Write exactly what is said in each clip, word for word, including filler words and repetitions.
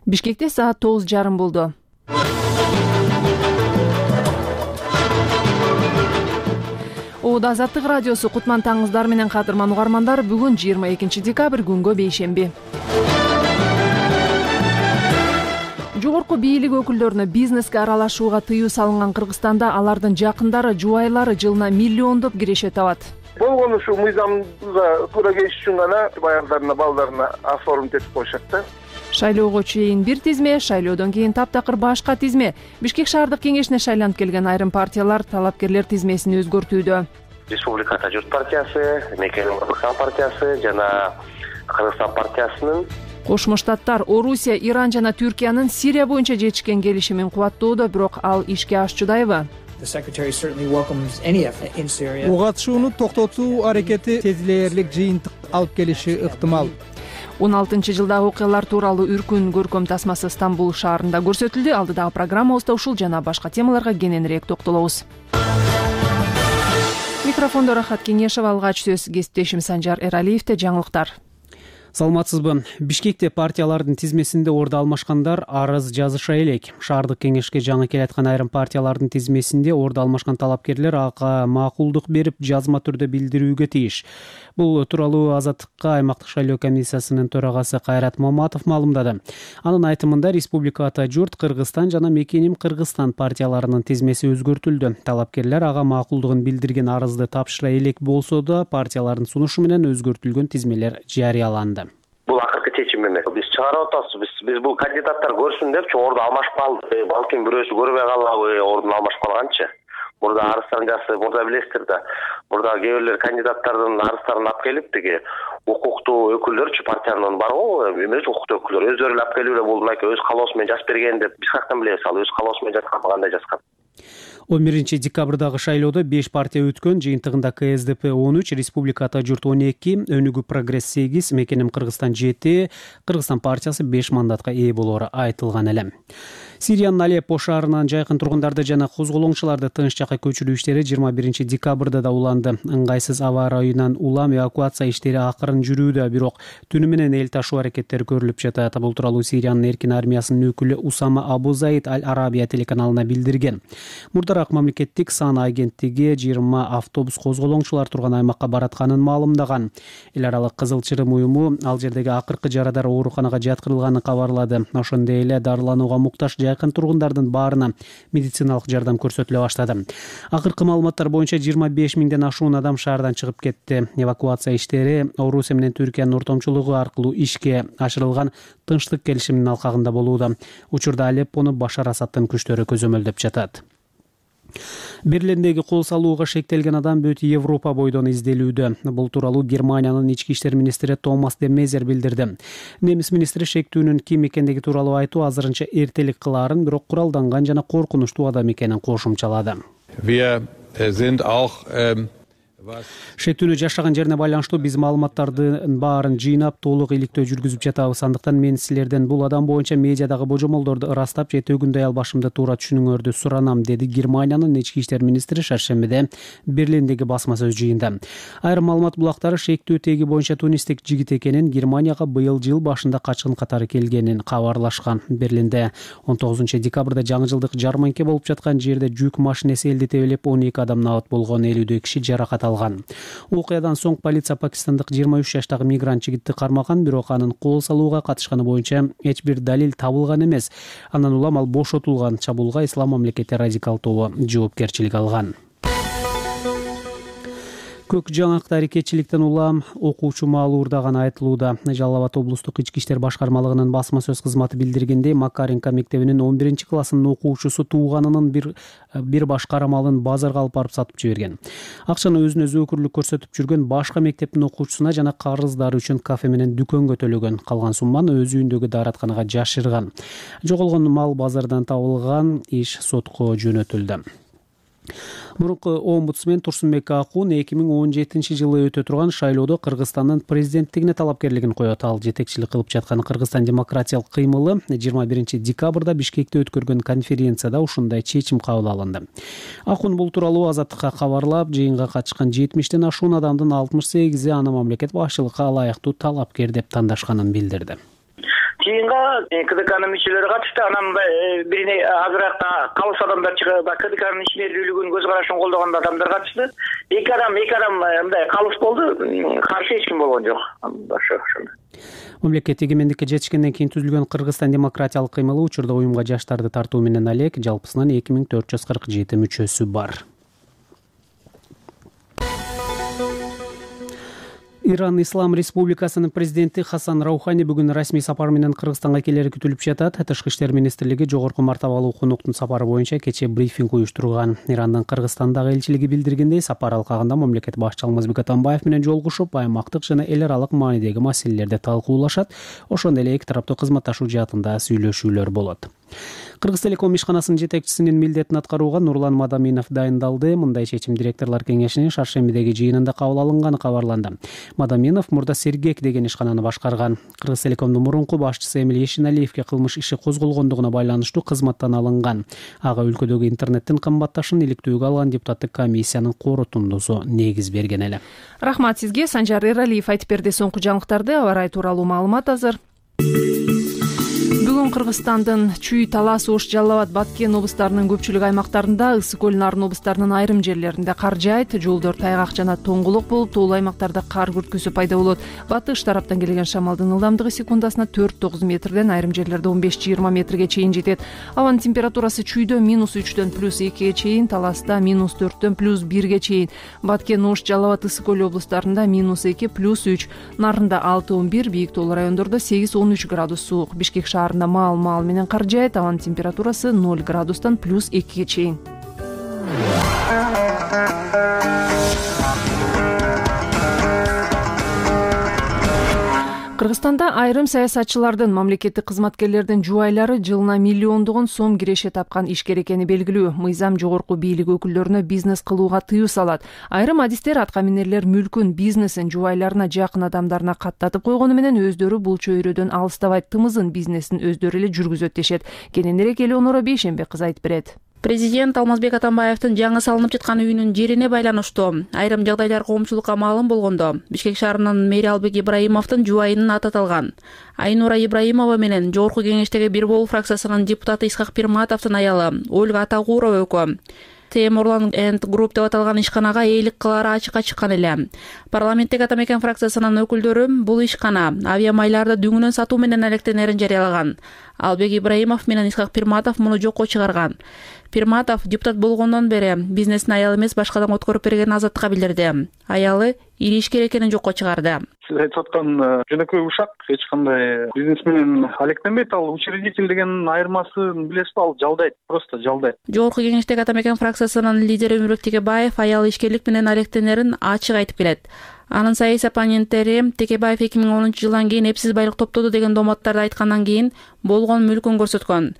Бишкекте саат тогуз жарым болду. Оодо Азаттык радиосу кутман таңыңыздар менен кадырман угармандар. Бүгүн жыйырма экинчи декабрь күнгө бейшемби. Жогорку бийлик өкүлдөрүнө бизнеске аралашууга тыюу салынган Кыргызстанда алардын жакындары, жубайлары жылына миллиондоп киреше табат. Болгону ушу мыйзамга туура келиш үчүн гана баягыларына, балдарына оформить этип коюшат да. Шайлоого чейин бир тизме, шайлоодон кийин таптакыр башка тизме. Бишкек шаардык кеңешине шайланып келген айрым партиялар талапкерлер тизмесин өзгөртүүдө. Республика Ата журт партиясы, Мекенин Кыргызстан партиясы жана Кыргызстан партиясынын, Кошмо Штаттар, Орусия, Иран жана Түркиянын Сирия боюнча жетишкен келишимин кубаттоодо, бирок ал ишке ашчудайбы? Буга катышууну токтотуу аракети тезлээрлик жыйынтык алып келиши ыктымал. он алтынчы жылдагы окуялар тууралуу үркүн көркөм тасмасы Стамбул шаарында көрсөтүлдү. Алдыдагы программабызда ушул жана башка темаларга кененирээк токтолобуз. Микрофондо Рахат Кеңешева, алгач сөз кесиптешим Санжар Эралиевде. Жаңылыктар. Саламатсызбы? Бишкекте партиялардын тизмесинде орду алмашкандар арыз жазыша элек. Шаардык кеңешке жаңы келаткан айрым партиялардын тизмесинде орду алмашкан талапкерлер ага макулдук берип, жазма түрдө билдирүүгө тийиш. Бул тууралуу Азаттыкка аймактык шайлоо комиссиясынын төрагасы Кайрат Маматов маалымдады. Анын айтымында Республика Ата журт, Кыргызстан жана Мекеним Кыргызстан партияларынын тизмеси өзгөртүлдү. Талапкерлер ага макулдугун билдирген арызды тапшыра элек болсо да, партиялардын сунушу менен өзгөртүлгөн тизмелер жарыяланды. Бул акыркы чечим эмес. Биз чыгарып атабыз. Биз биз бул кандидаттар көрсүн депчи орду алмашып калды. Балким бирөөсү көрбөй калабы, ордун алмашып калганчы. Мурда арыздарын жазып, мурда билесиздер да. Мурда кээ бирлер кандидаттардын арыздарын алып келип, тиги укуктуу өкүлдөрчү партиянын бар го, эмес укуктуу өкүлдөр өздөрү алып келип эле бул мынакей өз калоосу менен жазып берген деп биз каяктан билебиз, ал өз калоосу менен жазган, кандай жазган. он биринчи декабрдагы шайлоодо беш партия өткөн. Жыйынтыгында К С Д П он үч, Республика Ата журт он эки, Өнүгүү Прогресс сегиз, Мекеним Кыргызстан жети, Кыргызстан партиясы беш мандатка ээ болоору айтылган эле. Сириянын Алеппо шаарынан жайкын тургундарды жана козголоңчуларды тыныч жакка көчүрүү иштери жыйырма биринчи декабрда да уланды. Ыңгайсыз аба ырайынан улам эвакуация иштери акырын жүрүүдө, бирок түнү менен эл ташуу аракеттери көрүлүп жатат. Бул тууралуу Сириянын эркин армиясынын өкүлү Усама Абу Заид Аль-Арабия телеканалына билдирген. Мурдараак мамлекеттик сан агенттиги жыйырма автобус козголоңчулар турган аймакка баратканын маалымдаган. Эл аралык Кызыл Чырым уюму ал жердеги акыркы жарадар ооруканага жаткырылганын кабарлады. Ошондой эле дарыланууга муктаж жакын тургундардын баарына медициналык жардам көрсөтүлө баштады. Акыркы маалыматтар боюнча жыйырма беш миңден ашуун адам шаардан чыгып кетти. Эвакуация иштери Орусия менен Түркиянын ортомчулугу аркылуу ишке ашырылган тынчтык келишиминин алкагында болууда. Учурда Алеппону Башар Асадтын күчтөрү көзөмөлдөп жатат. Берлиндеги кол салууга шектелген адам бүт Европа бойдон изделүүдө. Бул тууралуу Германиянын ички иштер министри Томас де Мезер билдирди. Немис министри шектүүнүн ким экендиги тууралуу айтуу азырынча эртелик кылаарын, бирок куралданган жана коркунучтуу адам экенин кошумчалады. Шектүүнү жашаган жерине байланыштуу биз маалыматтардын баарын жыйнап, толук иликтөө жүргүзүп жатабыз. Андыктан мен силерден бул адам боюнча медиадагы божомолдорду ырастап, жети күндөй албашымды туура түшүнүңөрдү суранам, деди Германиянын ички иштер министри шаршембиде Берлиндеги басма сөз жыйында. Айрым маалымат булактары шектүү теги боюнча тунистик жигит экенин, Германияга быйыл жыл башында качкын катары келгенин кабарлашкан. Берлинде он тогузунчу декабрда жаңы жылдык жарманке болуп жаткан жерде жүк машинеси элди тебелеп, он эки адам набат болгон, элүүдөй киши жаракат алган. Окуядан соң полиция пакистандык жыйырма үч жаштагы мигрант жигитти кармаган, бирок анын кол салууга катышканы боюнча эч бир далил табылган эмес. Андан улам ал бошотулган. Чабуулга Ислам мамлекети радикал тобу жоопкерчилик алган. Көк жаңакта аракетчиликтен улам окуучу маалуурдаган айтылууда. Жалал Абад облустук ички иштер башкармалыгынын басма сөз кызматы билдиргендей, Макаренко мектебинин он биринчи классынын окуучусу тууганынын бир бир баш карамалын базарга алып барып сатып жиберген. Акчаны өзүнө зөөкүрлүк көрсөтүп жүргөн башка мектептин окуучусуна жана карыздары үчүн кафе менен дүкөнгө төлөгөн. Калган сумманы өз үйүндөгү дааратканага жашырган. Жоголгон мал базардан табылган, иш сотко жөнөтүлдү. Мурунку омбудсмен Турсунбек Акун эки миң он жетинчи жылы өтө турган шайлоодо Кыргызстандын президенттигине талапкерлигин коет. Ал жетекчилик кылып жаткан Кыргызстан демократиялык кыймылы жыйырма биринчи декабрда Бишкекте өткөргөн конференцияда ушундай чечим кабыл алынды. Акун бул тууралуу Азаттыкка кабарлап, жыйынга катышкан жетимиштен ашуун адамдын алтымыш сегизи аны мамлекет башчылыкка ылайыктуу талапкер деп тандашканын билдирди. жыйынга КДКнын мүчөлөрү катышты. Анан мындай бирине азыраак калыс адамдар чыгып, КДКнын ишмердүүлүгүн көз карашын колдогон адамдар катышты. Эки адам, эки адам мындай калыс болду. Каршы эч ким болгон жок. Ошо ошондой. Мамлекет эгемендикке жетишкенден кийин түзүлгөн Кыргызстан демократиялык кыймылы учурда уюмга жаштарды тартуу менен алек жалпысынан эки миң төрт жүз кырк жети мүчөсү бар. Иран Ислам Республикасынын президенти Хасан Раухани бүгүн расмий сапар менен Кыргызстанга келери күтүлүп жатат. Тышкы иштер министрлиги жогорку мартабалуу конуктун сапары боюнча кечээ брифинг уюштурган. Ирандын Кыргызстандагы элчилиги билдиргендей, сапар алкагында мамлекет башчысы Алмазбек Атамбаев менен жолугушуп, аймактык жана эл аралык маанидеги маселелерди талкуулашат. Ошондой эле эки тараптуу кызматташуу жаатында сүйлөшүүлөр болот. Кыргызтелеком ишканасынын жетекчисинин милдетин аткарууга Нурлан Мадаминов дайындалды. Мындай чечим директорлор кеңешинин шаршембидеги жыйынында кабыл алынганы кабарланды. Мадаминов мурда Сергек деген ишкананы башкарган. Кыргызтелекомдун мурунку башчысы Эмиль Ешиналиевге кылмыш иши козголгондугуна байланыштуу кызматтан алынган. Ага өлкөдөгү интернеттин кымбатташын иликтөөгө алган депутаттык комиссиянын корутундусу негиз берген эле. Рахмат сизге. Санжар Эралиев айтып берди. Соңку жаңылыктарды, аба ырайы тууралуу маалымат азыр. Бүгүн Кыргызстандын Чүй, Талас, Ош, Жалал Абад, Баткен облустарынын көпчүлүк аймактарында, Ысык көл, Нарын облустарынын айрым жерлеринде кар жаайт, жолдор тайгак жана тоңгулук болуп, тоолуу аймактарда кар күрткүсү пайда болот. Батыш тараптан келген шамалдын ылдамдыгы секундасына төрт тогуз метрден, айрым жерлерде он беш жыйырма метрге чейин жетет. Абанын температурасы Чүйдө минус үчтөн плюс экиге чейин, Таласта минус төрттөн плюс бирге чейин, Баткен, Ош, Жалал Абад, Ысык көл облустарында минус эки плюс үч, Нарында алты он бир, бийик тоолуу райондордо сегиз он үч градус суук. Бишкек шаарында маал маал менен кар жаайт, абанын температурасы ноль градустан плюс экиге чейин. Кыргызстанда айрым саясатчылардын, мамлекеттик кызматкерлердин жубайлары жылына миллиондогон сом киреше тапкан ишкер экени белгилүү. Мыйзам жогорку бийлик өкүлдөрүнө бизнес кылууга тыюу салат. Айрым адистер атка минерлер мүлкүн, бизнесин жубайларына, жакын адамдарына каттатып койгону менен өздөрү бул чөйрөдөн алыстабайт, тымызын бизнесин өздөрү эле жүргүзөт дешет. Кененирээк Элеонора Бейшенбек кызы айтып берет. Президент Алмазбек Атамбаевдин жаңы салынып жаткан үйүнүн жерине байланыштуу айрым жагдайлар коомчулукка маалым болгондо, Бишкек шаарынын мэри Албек Ибраимовдун жубайынын аты аталган. Айнура Ибраимова менен жогорку кеңештеги Бир Болуу фракциясынын депутаты Исхак Пирматовдун аялы Ольга Атагурова экөө Темурлан энд Групп деп аталган ишканага ээлик кылары ачыкка чыккан эле. Парламенттеги Атамекен фракциясынын өкүлдөрү бул ишкана авиамайларды дүңүнөн сатуу менен алектенерин жарыялаган. Албек Ибраимов менен Исхак Пирматов муну жокко чыгарган. Пирматов депутат болгондон бери бизнесин аялы эмес башкадан өткөрүп берген азаттыкка билдирди. Аялы ири ишкер экенин жокко чыгарды. Сиз айтып аткан жөнөкөй ушак эч кандай бизнес менен алектенбейт. Ал учредитель деген айырмасын билесизби? Ал жалдайт, просто жалдайт. Жогорку кеңештеги Атамекен фракциясынын лидери Өмүрбек Текебаев аялы ишкерлик менен алектенерин ачык айтып келет. Анын саясий оппоненттери Текебаев эки миң онунчу жылдан кийин эпсиз байлык топтоду деген доматтарды айткандан кийин болгон мүлкүн көрсөткөн.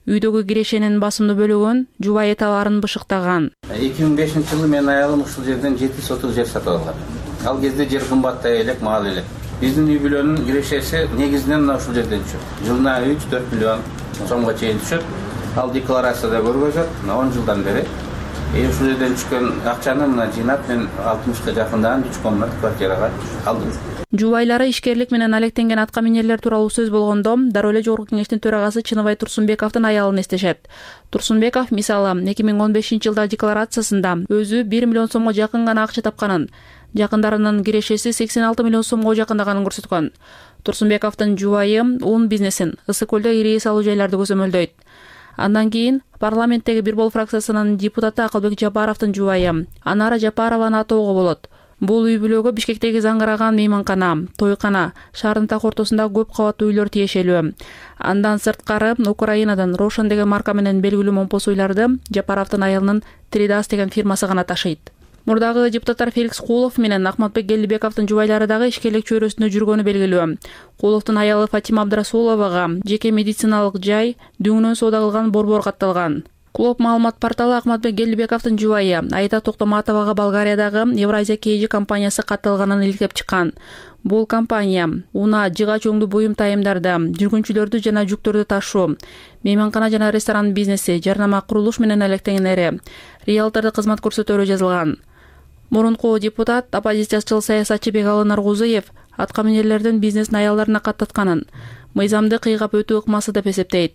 Үйдөгү кирешенин басымдуу бөлүгүн жубайы товарын бышыктаган. эки миң бешинчи жылы менин аялым ушул жерден жети соток жер сатып алган. Ал кезде жер кымбаттай элек, маал элек. Биздин үй бүлөнүн кирешеси негизинен мына ушул жерден түшөт. Жылына үч төрт миллион сомго чейин түшөт. Ал декларацияда көргөзөт. Мына он жылдан бери э ушул жерден түшкөн акчаны мына жыйнап мен алтымышка жакындан үч комнат квартирага алдым. Жубайлары ишкерлик менен алектенген атка минерлер тууралуу сөз болгондо, дароо эле жогорку кеңештин төрагасы Чыныбай Турсунбековдун аялын эстешет. Турсунбеков мисалы эки миң он бешинчи жылдагы декларациясында өзү бир миллион сомго жакын гана акча тапканын, жакындарынын кирешеси сексен алты миллион сомго жакындаганын көрсөткөн. Турсунбековдун жубайы ун бизнесин Ысык көлдө ири салуу жайларды көзөмөлдөйт. Андан кийин парламенттеги Бир Болуу фракциясынын депутаты Акылбек Жапаровдун жубайы Анара Жапарованы атоого болот. Бул үй бүлөгө Бишкектеги заңгыраган мейманкана, тойкана, шаардын так ортосунда көп кабаттуу үйлөр тиешелүү. Андан сырткары Украинадан Рошен деген марка менен белгилүү момпос уйларды Жапаровдун айылынын Тридас деген фирмасы гана ташыйт. Мурдагы депутаттар Феликс Кулов менен Ахматбек Гелдибековдун жубайлары дагы ишкерлик чөйрөсүндө жүргөнү белгилүү. Куловдун аялы Фатима Абдрасуловага жеке медициналык жай, дүңүнөн соода кылган борбор катталган. Клуб маалымат порталы Ахматбек Гелдибековдун жубайы Айта Токтоматовага Болгариядагы Евразия Кейжи компаниясы катталганын иликтеп чыккан. Бул компания уна, жыгач өңдүү буюм тайымдарды, жүргүнчүлөрдү жана жүктөрдү ташуу, мейманкана жана ресторан бизнеси, жарнама курулуш менен алектенгенери, риэлтордук кызмат көрсөтөөрү жазылган. Мурунку депутат, оппозициячыл саясатчы Бекалы Наргузуев атка минерлердин бизнесин аялдарына каттатканын, мыйзамды кыйгап өтүү ыкмасы деп эсептейт.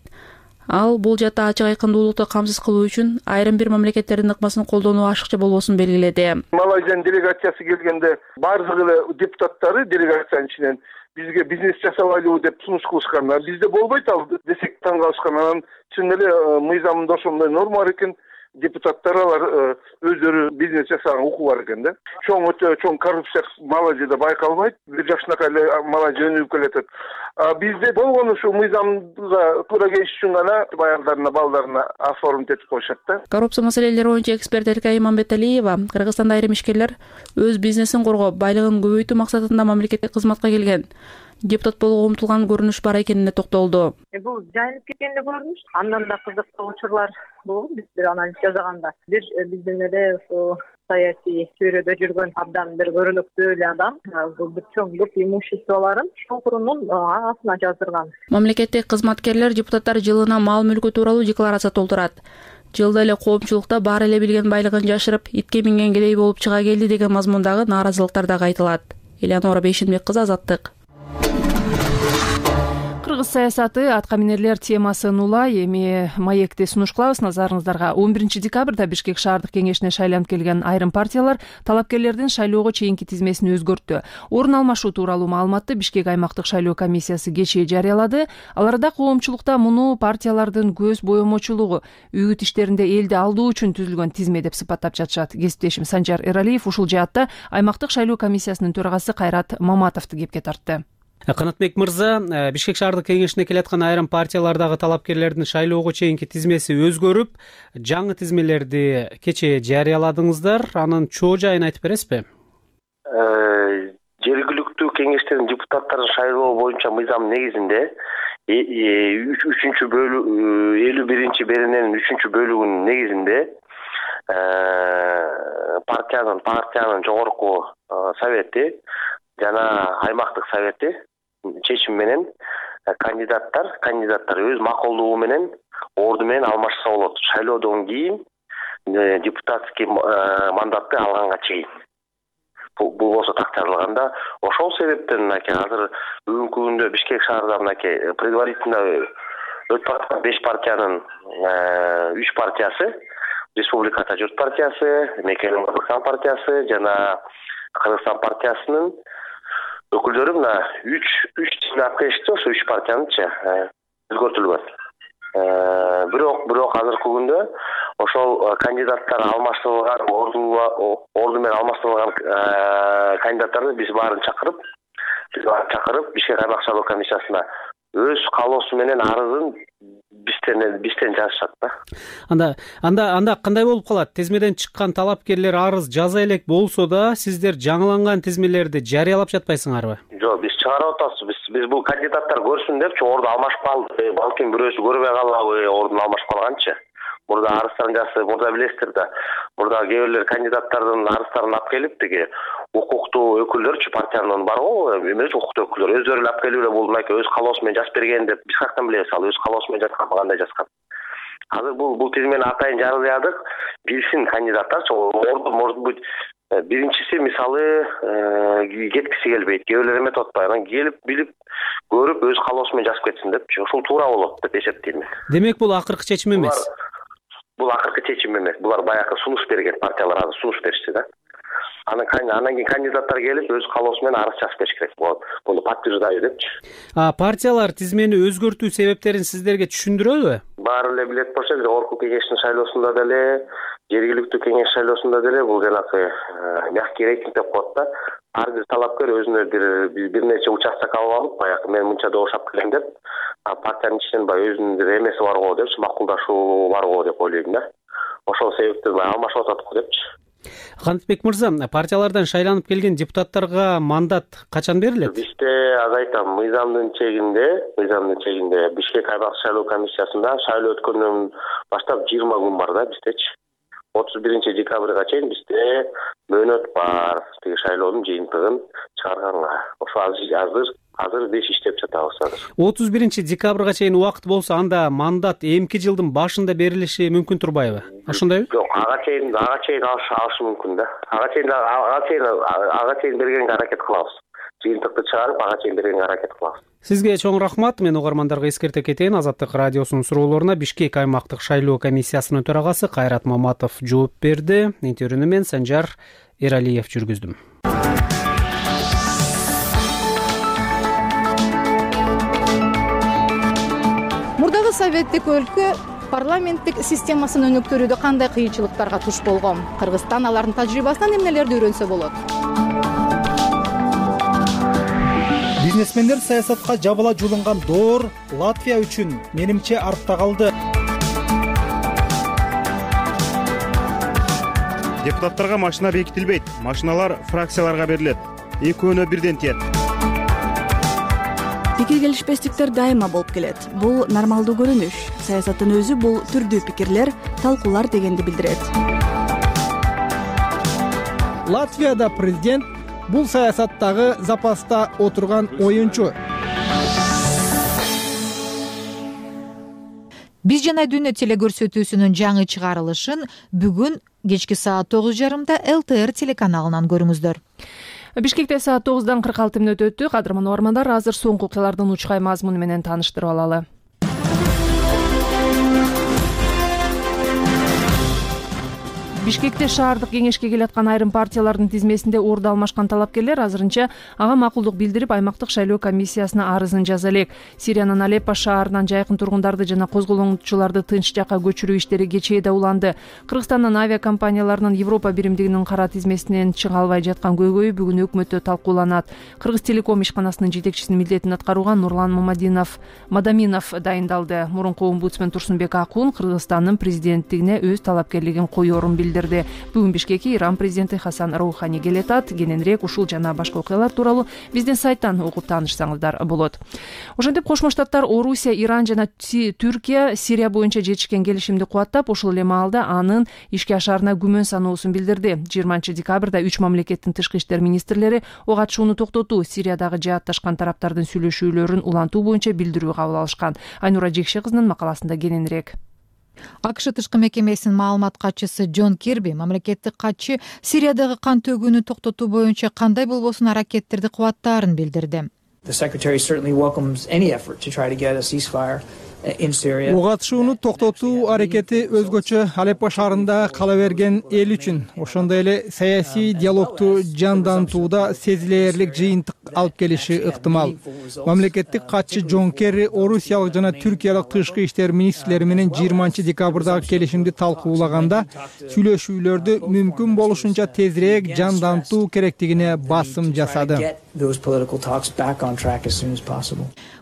Ал бул жаатта ачык айкындуулукту камсыз кылуу үчүн айрым бир мамлекеттердин ыкмасын колдонуу ашыкча болбосун белгиледи. Малайзиянын делегациясы келгенде баардык эле депутаттары делегациянын ичинен бизге бизнес жасабайлыбы деп сунуш кылышкан. Бизде болбойт ал десек таң калышкан. Анан чын эле мыйзамда ошондой норма бар экен. Депутаттар алар өздөрү бизнес жасаган укугу бар экен да. Чоң өтө чоң коррупция Малайзияда байкалбайт. Бир жакшынакай эле Малайзия өнүгүп келатат. Бизде болгон ушу мыйзамга туура келиш үчүн гана аялдарына, балдарына оформить этип коюшат да. Коррупция маселелери боюнча эксперт Эркай Имамбеталиева Кыргызстанда айрым ишкерлер өз бизнесин коргоп, байлыгын көбөйтүү максатында мамлекетке кызматка келген, депутат болууга умтулган көрүнүш бар экенине токтолду. Бул жайылып кеткен эле көрүнүш. Андан да кызыктуу учурлар болгон. Биз бир анализ жасаганда бир биздин эле ушу саясий чөйрөдө жүргөн абдан бир көрүнүктүү эле адам бул бир чоң көп имуществолорун чуңкурунун астына жаздырган. Мамлекеттик кызматкерлер депутаттар жылына мал мүлкү тууралуу декларация толтурат. Жылда эле коомчулукта баары эле билген байлыгын жашырып, итке минген кедей болуп чыга келди деген мазмундагы нааразылыктар дагы айтылат. Элеонора Бейшенбек кызы, Азаттык. Кыргыз саясаты атка минерлер темасын улай эми маекти сунуш кылабыз назарыңыздарга. он биринчи декабрда Бишкек шаардык кеңешине шайланып келген айрым партиялар талапкерлердин шайлоого чейинки тизмесин өзгөрттү. Орун алмашуу тууралуу маалыматты Бишкек аймактык шайлоо комиссиясы кечээ жарыялады. Аларда коомчулукта муну партиялардын көз боемочулугу, үгүт иштеринде элди алдоо үчүн түзүлгөн тизме деп сыпаттап жатышат. Кесиптешим Санжар Эралиев ушул жаатта аймактык шайлоо комиссиясынын төрагасы Кайрат Маматовду кепке тартты. Канатбек мырза, Бишкек шаардык кеңешине келаткан айрым партиялардагы талапкерлердин шайлоого чейинки тизмеси өзгөрүп, жаңы тизмелерди кечээ жарыяладыңыздар. Анын чоо жайын айтып бересизби? Жергиликтүү кеңештердин депутаттарын шайлоо боюнча мыйзам негизинде үчүнчү бөлүк элүү биринчи берененин үчүнчү бөлүгүнүн негизинде партиянын партиянын жогорку совети жана аймактык совети чечим менен кандидаттар кандидаттар өз макулдугу менен орду менен алмашса болот. Шайлоодон кийин депутатский мандатты алганга чейин. Бул болсо так жаралганда, ошол себептен мынакей азыр бүгүнкү күндө Бишкек шаарында мынакей предварительно өтүп аткан беш партиянын үч партиясы, Республиката журт партиясы, Мекенин Кыргызстан партиясы жана Кыргызстан партиясынын өкүлдөрү мына үч үч тизме алып келишти. Ошо үч партиянычы өзгөртүлгөн. Бирок бирок азыркы күндө ошол кандидаттар алмаштырылган, орду менен алмаштырылган кандидаттарды биз баарын чакырып, биз баарын чакырып Бишкек аймак шайлоо комиссиясына өз каалоосу менен арызын бизден бизден жазышат да. Анда анда анда кандай болуп калат? Тизмеден чыккан талапкерлер арыз жаза элек болсо да, сиздер жаңыланган тизмелерди жарыялап жатпайсыңарбы? Жок, биз чыгарып атабыз. Биз биз бул кандидаттар көрсүн депчи, орду алмашып калды. Балким бирөөсү көрбөй калабы, ордун алмашып калганчы. Мурда арыздарын жазып, мурда билесиздер да. Мурда кээ бирлер кандидаттардын арыздарын алып келип, тиги укуктуу өкүлдөрчү партиянын бар го, эмес укуктуу өкүлдөр өздөрү алып келип эле бул мынакей өз каалоосу менен жазып берген деп биз каяктан билебиз, ал өз каалоосу менен жазган, кандай жазган. Азыр бул бул тизмени атайын жарыядык, билсин кандидаттарчы, орду может быть биринчиси мисалы кеткиси келбейт, кээ бирлер эметип атпайбы, анан келип билип көрүп өз каалоосу менен жазып кетсин депчи. Ошол туура болот деп эсептейм. Демек бул акыркы чечим эмес. Бул акыркы чечим эмес. Булар баягы сунуш берген, партиялар азыр сунуш беришти да. Анан анан кийин кандидаттар келип өз каалоосу менен арыз жазып бериш керек болот. Муну подтверждаю депчи. А партиялар тизмени өзгөртүү себептерин сиздерге түшүндүрөбү? Баары эле билет болчу, жогорку кеңештин шайлоосунда деле, жергиликтүү кеңеш шайлоосунда деле бул жанагы мягкий рейтинг деп коет да. Ар бир талапкер өзүнө бир бир нече участок алып алып, баягы мен мынча добушап келем деп, партиянын ичинен баягы өзүнүн бир эмеси бар го депчи, макулдашуу бар го деп ойлойм да. Ошол себептен алмашып атат го депчи. Канатбек мырза, партиялардан шайланып келген депутаттарга мандат качан берилет? Бизде аз айтам, мыйзамдын чегинде, мыйзамдын чегинде Бишкек аймак шайлоо комиссиясында шайлоо өткөндөн баштап жыйырма күн бар да биздечи. отуз биринчи декабрга чейин бизде мөөнөт бар тиги шайлоонун жыйынтыгын чыгарганга. Ошо азыр азыр беш иштеп жатабыз азыр. отуз биринчи декабрга чейин убакыт болсо, анда мандат эмки жылдын башында берилиши мүмкүн турбайбы? Ошондойбу? Жок, ага чейин ага чейин алышы мүмкүн да. Ага чейин ага чейин ага чейин бергенге аракет кылабыз. жыйынтыкты чыгарып ага чейин бергенге аракет кылабыз. Сизге чоң рахмат. Мен угармандарга эскерте кетейин. Азаттык радиосунун суроолоруна Бишкек аймактык шайлоо комиссиясынын төрагасы Кайрат Маматов жооп берди. Интервьюну мен Санжар Эралиев жүргүздүм. Мурдагы советтик өлкө парламенттик системасын өнүктүрүүдө кандай кыйынчылыктарга туш болгон? Кыргызстан алардын тажрыйбасынан эмнелерди үйрөнсө болот? Бизнесмендер саясатка жабыла жулунган доор Латвия үчүн менимче артта калды. Депутаттарга машина бекитилбейт. Машиналар фракцияларга берилет. Экөөнө бирден тиет. Пикир келишпестиктер дайыма болуп келет. Бул нормалдуу көрүнүш. Саясаттын өзү бул түрдүү пикирлер, талкуулар дегенди билдирет. Латвияда президент бул саясаттагы запаста отурган оюнчу. Биз жана дүйнө телекөрсөтүүсүнүн жаңы чыгарылышын бүгүн кечки саат тогуз жарымда эл тэ эр телеканалынан көрүңүздөр. Бишкекте саат тогуздан кырк алты мүнөт өттү. Кадырман угармандар, азыр соңку окуялардын учкай мазмуну менен тааныштырып алалы. Бишкекте шаардык кеңешке келаткан айрым партиялардын тизмесинде орду алмашкан талапкерлер азырынча ага макулдук билдирип, аймактык шайлоо комиссиясына арызын жаза элек. Сириянын Алеппо шаарынан жайкын тургундарды жана козголоңчуларды тынч жакка көчүрүү иштери кечээде уланды. Кыргызстандын авиакомпанияларынын Европа биримдигинин кара тизмесинен чыга албай жаткан көйгөйү бүгүн өкмөттө талкууланат. Кыргыз телеком ишканасынын жетекчисинин милдетин аткаруга Нурлан Мамадинов Мадаминов дайындалды. Мурунку омбудсмен Турсунбек Акун Кыргызстандын президенттигине өз талапкерлигин коёрун билдирди. Бүгүн Бишкекке Иран президенти Хасан Роухани келетат. Кененирээк ушул жана башка окуялар тууралуу биздин сайттан окуп таанышсаңыздар болот. Ошентип Кошмо Штаттар, Орусия, Иран жана Түркия Сирия боюнча жетишкен келишимди кубаттап, ошол эле маалда анын ишке ашаарына күмөн саноосун билдирди. жыйырманчы декабрда үч мамлекеттин тышкы иштер министрлери ок атышууну токтотуу, Сириядагы жаатташкан тараптардын сүйлөшүүлөрүн улантуу боюнча билдирүү кабыл алышкан. Айнура Жекше кызынын макаласында кененирээк. АКШ тышкы мекемесинин маалымат катчысы Джон Кирби мамлекеттик катчы Сириядагы кан төгүүнү токтотуу боюнча кандай болбосун аракеттерди кубаттаарын билдирди. Ок атышууну токтотуу аракети өзгөчө Алеппо шаарында кала берген эл үчүн, ошондой эле саясий диалогту жандантууда сезилээрлик жыйынтык алып келиши ыктымал. Мамлекеттик катчы Джон Керри орусиялык жана түркиялык тышкы иштер министрлери менен жыйырманчы декабрдагы келишимди талкуулаганда сүйлөшүүлөрдү мүмкүн болушунча тезирээк жандантуу керектигине басым жасады.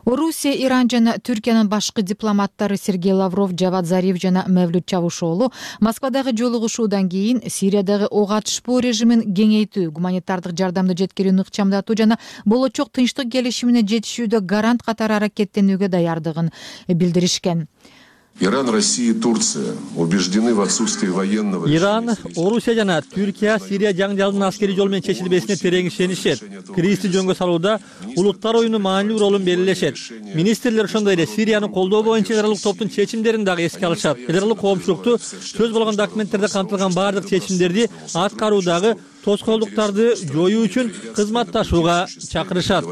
Орусия, Иран жана Түркиянын башкы дипломаттары Сергей Лавров, Жавад Зариф жана Мевлют Чавушоолу Москвадагы жолугушуудан кийин Сириядагы ок атышпоо режимин кеңейтүү, гуманитардык жардамды жеткирүүнү ыкчамдатуу жана болочок тынчтык келишимине жетишүүдө гарант катары аракеттенүүгө даярдыгын билдиришкен. Иран, Россия и Турция убеждены в отсутствии военного. Иран, Орусия жана Түркия Сирия жаңжалдын аскери жол менен чечилбесине терең ишенишет. Кризисти жөнгө салууда улуттар оюнун маанилүү ролун белгилешет. Министрлер ошондой эле Сирияны колдоо боюнча федералдык топтун чечимдерин дагы эске алышат. Федералдык коомчулукту сөз болгон документтерде камтылган бардык чечимдерди аткаруудагы тоскоолдуктарды жоюу үчүн кызматташууга чакырышат.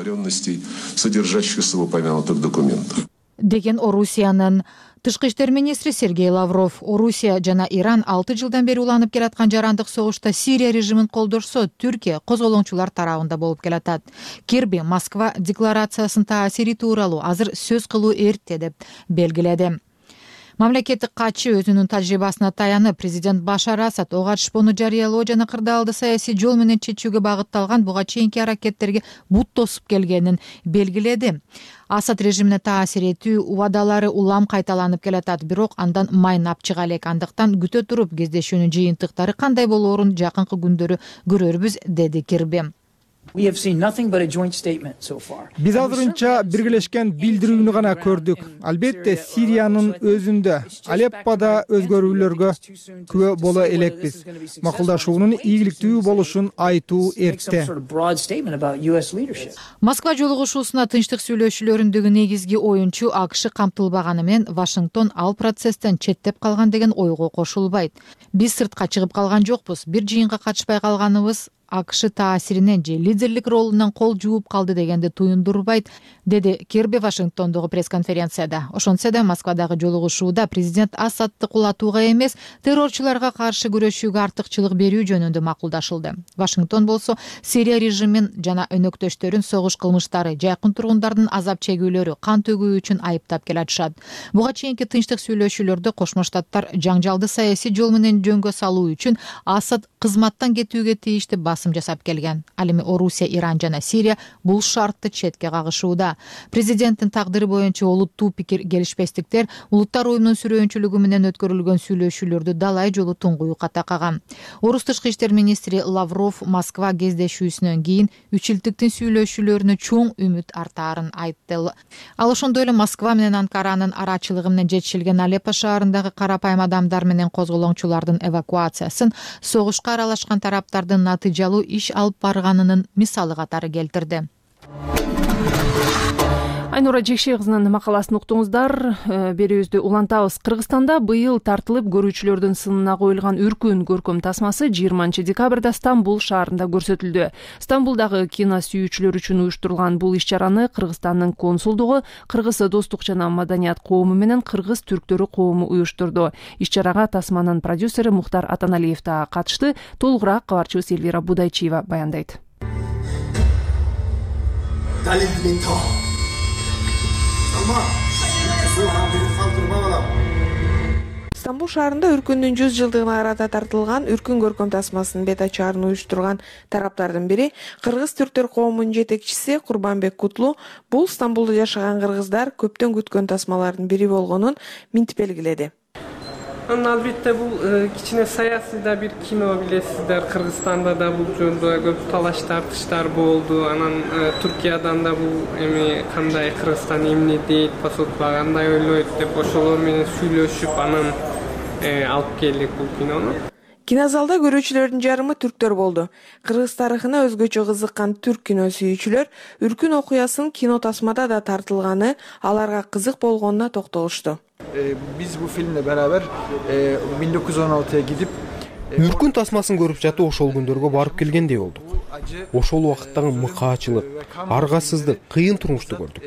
Содержащихся в упомянутых документах. Деген Орусиянын тышкы иштер министри Сергей Лавров. Орусия жана Иран алты жылдан бери уланып келаткан жарандык согушта Сирия режимин колдошсо, Түркия козголоңчулар тарабында болуп келатат. Кирби Москва декларациясынын таасири тууралуу азыр сөз кылуу эрте деп белгиледи. Мамлекеттик катчы өзүнүн тажрыйбасына таянып, президент Башар Асад ок атышпоону жарыялоо жана кырдаалды саясий жол менен чечүүгө багытталган буга чейинки аракеттерге бут тосуп келгенин белгиледи. Асад режимине таасир этүү убадалары улам кайталанып келатат, бирок андан майнап чыга элек. Андыктан күтө туруп кездешүүнүн жыйынтыктары кандай болоорун жакынкы күндөрү көрөрбүз, деди Кирби. Биз азырынча биргелешкен билдирүүнү гана көрдүк. Албетте Сириянын өзүндө, Алеппода өзгөрүүлөргө күбө боло элекпиз. Макулдашуунун ийгиликтүү болушун айтуу эрте. Москва жолугушуусуна тынчтык сүйлөшүүлөрүндөгү негизги оюнчу АКШ камтылбаганы менен Вашингтон ал процесстен четтеп калган деген ойго кошулбайт. Биз сыртка чыгып калган жокпуз. Бир жыйынга катышпай калганыбыз АКШ таасиринен же лидерлик ролунан кол жууп калды дегенди туюндурбайт, деди Кирби Вашингтондогу пресс-конференцияда. Ошентсе да Москвадагы жолугушууда президент Асадты кулатууга эмес, террорчуларга каршы күрөшүүгө артыкчылык берүү жөнүндө макулдашылды. Вашингтон болсо Сирия режимин жана өнөктөштөрүн согуш кылмыштары, жакын тургундардын азап чегүүлөрү, кан төгүү үчүн айыптап келатышат. Буга чейинки тынчтык сүйлөшүүлөрдө Кошмо Штаттар жаңжалды саясий жол менен жөнгө салуу үчүн Асад кызматтан кетүүгө тийиштүү басым жасап келген. Ал эми Орусия, Иран жана Сирия бул шартты четке кагышууда. Президенттин тагдыры боюнча олуттуу пикир келишпестиктер улуттар уюмунун сүрөөнчүлүгү менен өткөрүлгөн сүйлөшүүлөрдү далай жолу туңгуюу катакаган. Орус тышкы иштер министри Лавров Москва кездешүүсүнөн кийин үч илдиктин сүйлөшүүлөрүнө чоң үмүт артаарын айтты. Ал ошондой эле Москва менен Анкаранын арачылыгы менен жетишилген Алеппо шаарындагы карапайым адамдар менен козголоңчулардын эвакуациясын согушка аралашкан тараптардын натыйжалуу иш алып барганынын мисалы катары келтирди. Айнура Жекшей кызынын макаласын уктуңуздар. Берүүбүздү улантабыз. Кыргызстанда быйыл тартылып көрүүчүлөрдүн сынына коюлган Үркүн көркөм тасмасы жыйырманчы декабрда Стамбул шаарында көрсөтүлдү. Стамбулдагы кино сүйүүчүлөр үчүн уюштурулган бул иш-чараны Кыргызстандын консулдугу Кыргыз достук жана маданият коому менен Кыргыз түрктөрү коому уюштурду. Иш-чарага тасманын продюсери Мухтар Атаналиев да катышты. Толугураак кабарчыбыз Элвира Будайчиева баяндайт. Стамбул шаарында Үркүндүн жүз жылдыгына карата тартылган Үркүн көркөм тасмасынын бет ачаарын уюштурган тараптардын бири Кыргыз түрктөр коомунун жетекчиси Курбанбек Кутлу бул Стамбулда жашаган кыргыздар көптөн күткөн тасмалардын бири болгонун минтип белгиледи. Анан албетте бул кичине саясий да бир кино, билесиздер. Кыргызстанда да бул жөнүндө көп талаш тартыштар болду. Анан Түркиядан да бул эми кандай Кыргызстан эмне дейт, посолдукка кандай ойлойт деп ошолор менен сүйлөшүп анан алып келдик бул кинону. Кинозалда көрүүчүлөрдүн жарымы түрктөр болду. Кыргыз тарыхына өзгөчө кызыккан түрк кино сүйүүчүлөр Үркүн окуясынын кино тасмада да тартылганы аларга кызык болгонуна токтолушту. Биз бул фильмle beraber миң тогуз жүз он алтыya gidip Үркүн тасмасын көрүп жатып ошол күндөргө барып келгендей болдук. Ошол убакыттагы мыкаачылык, аргасыздык, кыйын турмушту көрдүк.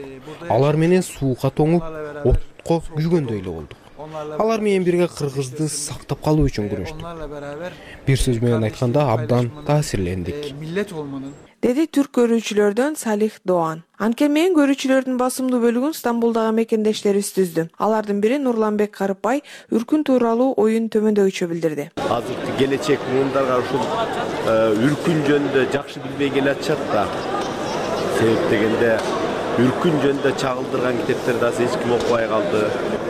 Алар менен суукка тоңуп, отко күйгөндөй эле болдук. Алар менен бирге Кыргызды сактап калуу үчүн күрөштүк. Бир сөз менен айтканда абдан таасирлендик. Деди түрк көрүүчүлөрдөн Салих Доан. Анткени менен көрүүчүлөрдүн басымдуу бөлүгүн Стамбулдагы мекендештерибиз түздү. Алардын бири Нурланбек Карыпбай Үркүн тууралуу оюн төмөндөгүчө билдирди. Азыркы келечек муундарга ушул Үркүн жөнүндө жакшы билбей келатышат да. Себеп дегенде Үркүн жөнүндө чагылдырган китептерди азыр эч ким окубай калды.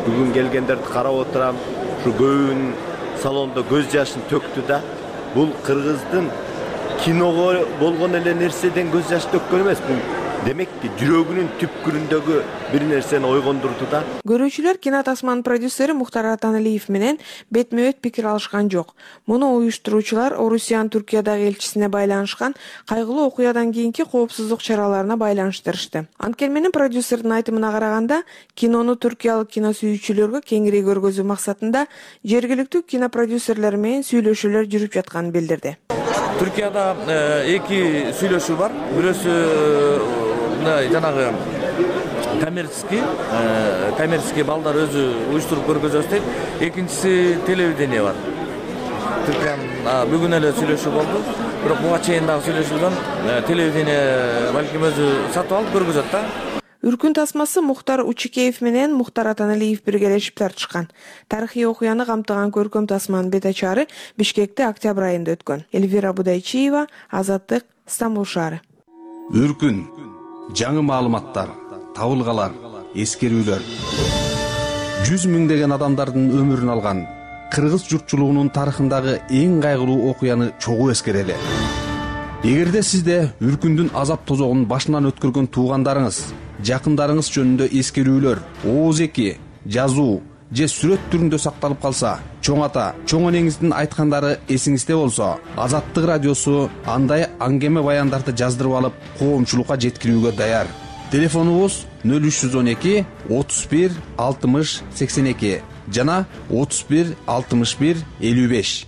Бүгүн келгендерди карап отурам, ушу көбүн салондо көз жашын төктү да. Бул Кыргыздын киного болгон эле нерседен көз жаш төккөн эмес, бул демекки жүрөгүнүн түпкүрүндөгү бир нерсени ойгондурду да. Көрүүчүлөр кино тасманын продюсери Мухтар Атаналиев менен бетме-бет пикир алышкан жок. Муну уюштуруучулар Орусиянын Түркиядагы элчисине байланышкан кайгылуу окуядан кийинки коопсуздук чараларына байланыштырышты. Анткени менен продюсердин айтымына караганда, кинону түркиялык кино сүйүүчүлөргө кеңири көргөзүү максатында жергиликтүү кинопродюсерлер менен сүйлөшүүлөр жүрүп жатканын билдирди. Түркияда эки сүйлөшүү бар. Бирөөсү жанагы коммерческий, коммерческий балдар өзү уюштуруп көргөзөбүз дейт. Экинчиси телевидение бар. Түркиянын бүгүн эле сүйлөшүү болду. Бирок буга чейин дагы сүйлөшүлгөн. Телевидение балким өзү сатып алып көргөзөт да. Үркүн тасмасы Мухтар Учикеев менен Мухтар Атаналиев биргелешип тартышкан. Тарыхый окуяны камтыган көркөм тасманын бет ачары Бишкекте октябрь айында өткөн. Элвира Будайчиева, Азаттык, Стамбул шаары. Үркүн, жаңы маалыматтар, табылгалар, эскерүүлөр. Жүз миңдеген адамдардын өмүрүн алган кыргыз журтчулугунун тарыхындагы эң кайгылуу окуяны чогуу эскерели. Эгерде сизде Үркүндүн азап тозогун башынан өткөргөн туугандарыңыз, жакындарыңыз жөнүндө эскерүүлөр, ооз эки, жазуу же сүрөт түрүндө сакталып калса, чоң ата, чоң энеңиздин айткандары эсиңизде болсо, Азаттык радиосу андай аңгеме баяндарды жаздырып алып, коомчулукка жеткирүүгө даяр. Телефонубуз нөл үч жүз он эки отуз бир алтымыш сексен эки жана отуз бир алтымыш бир элүү беш.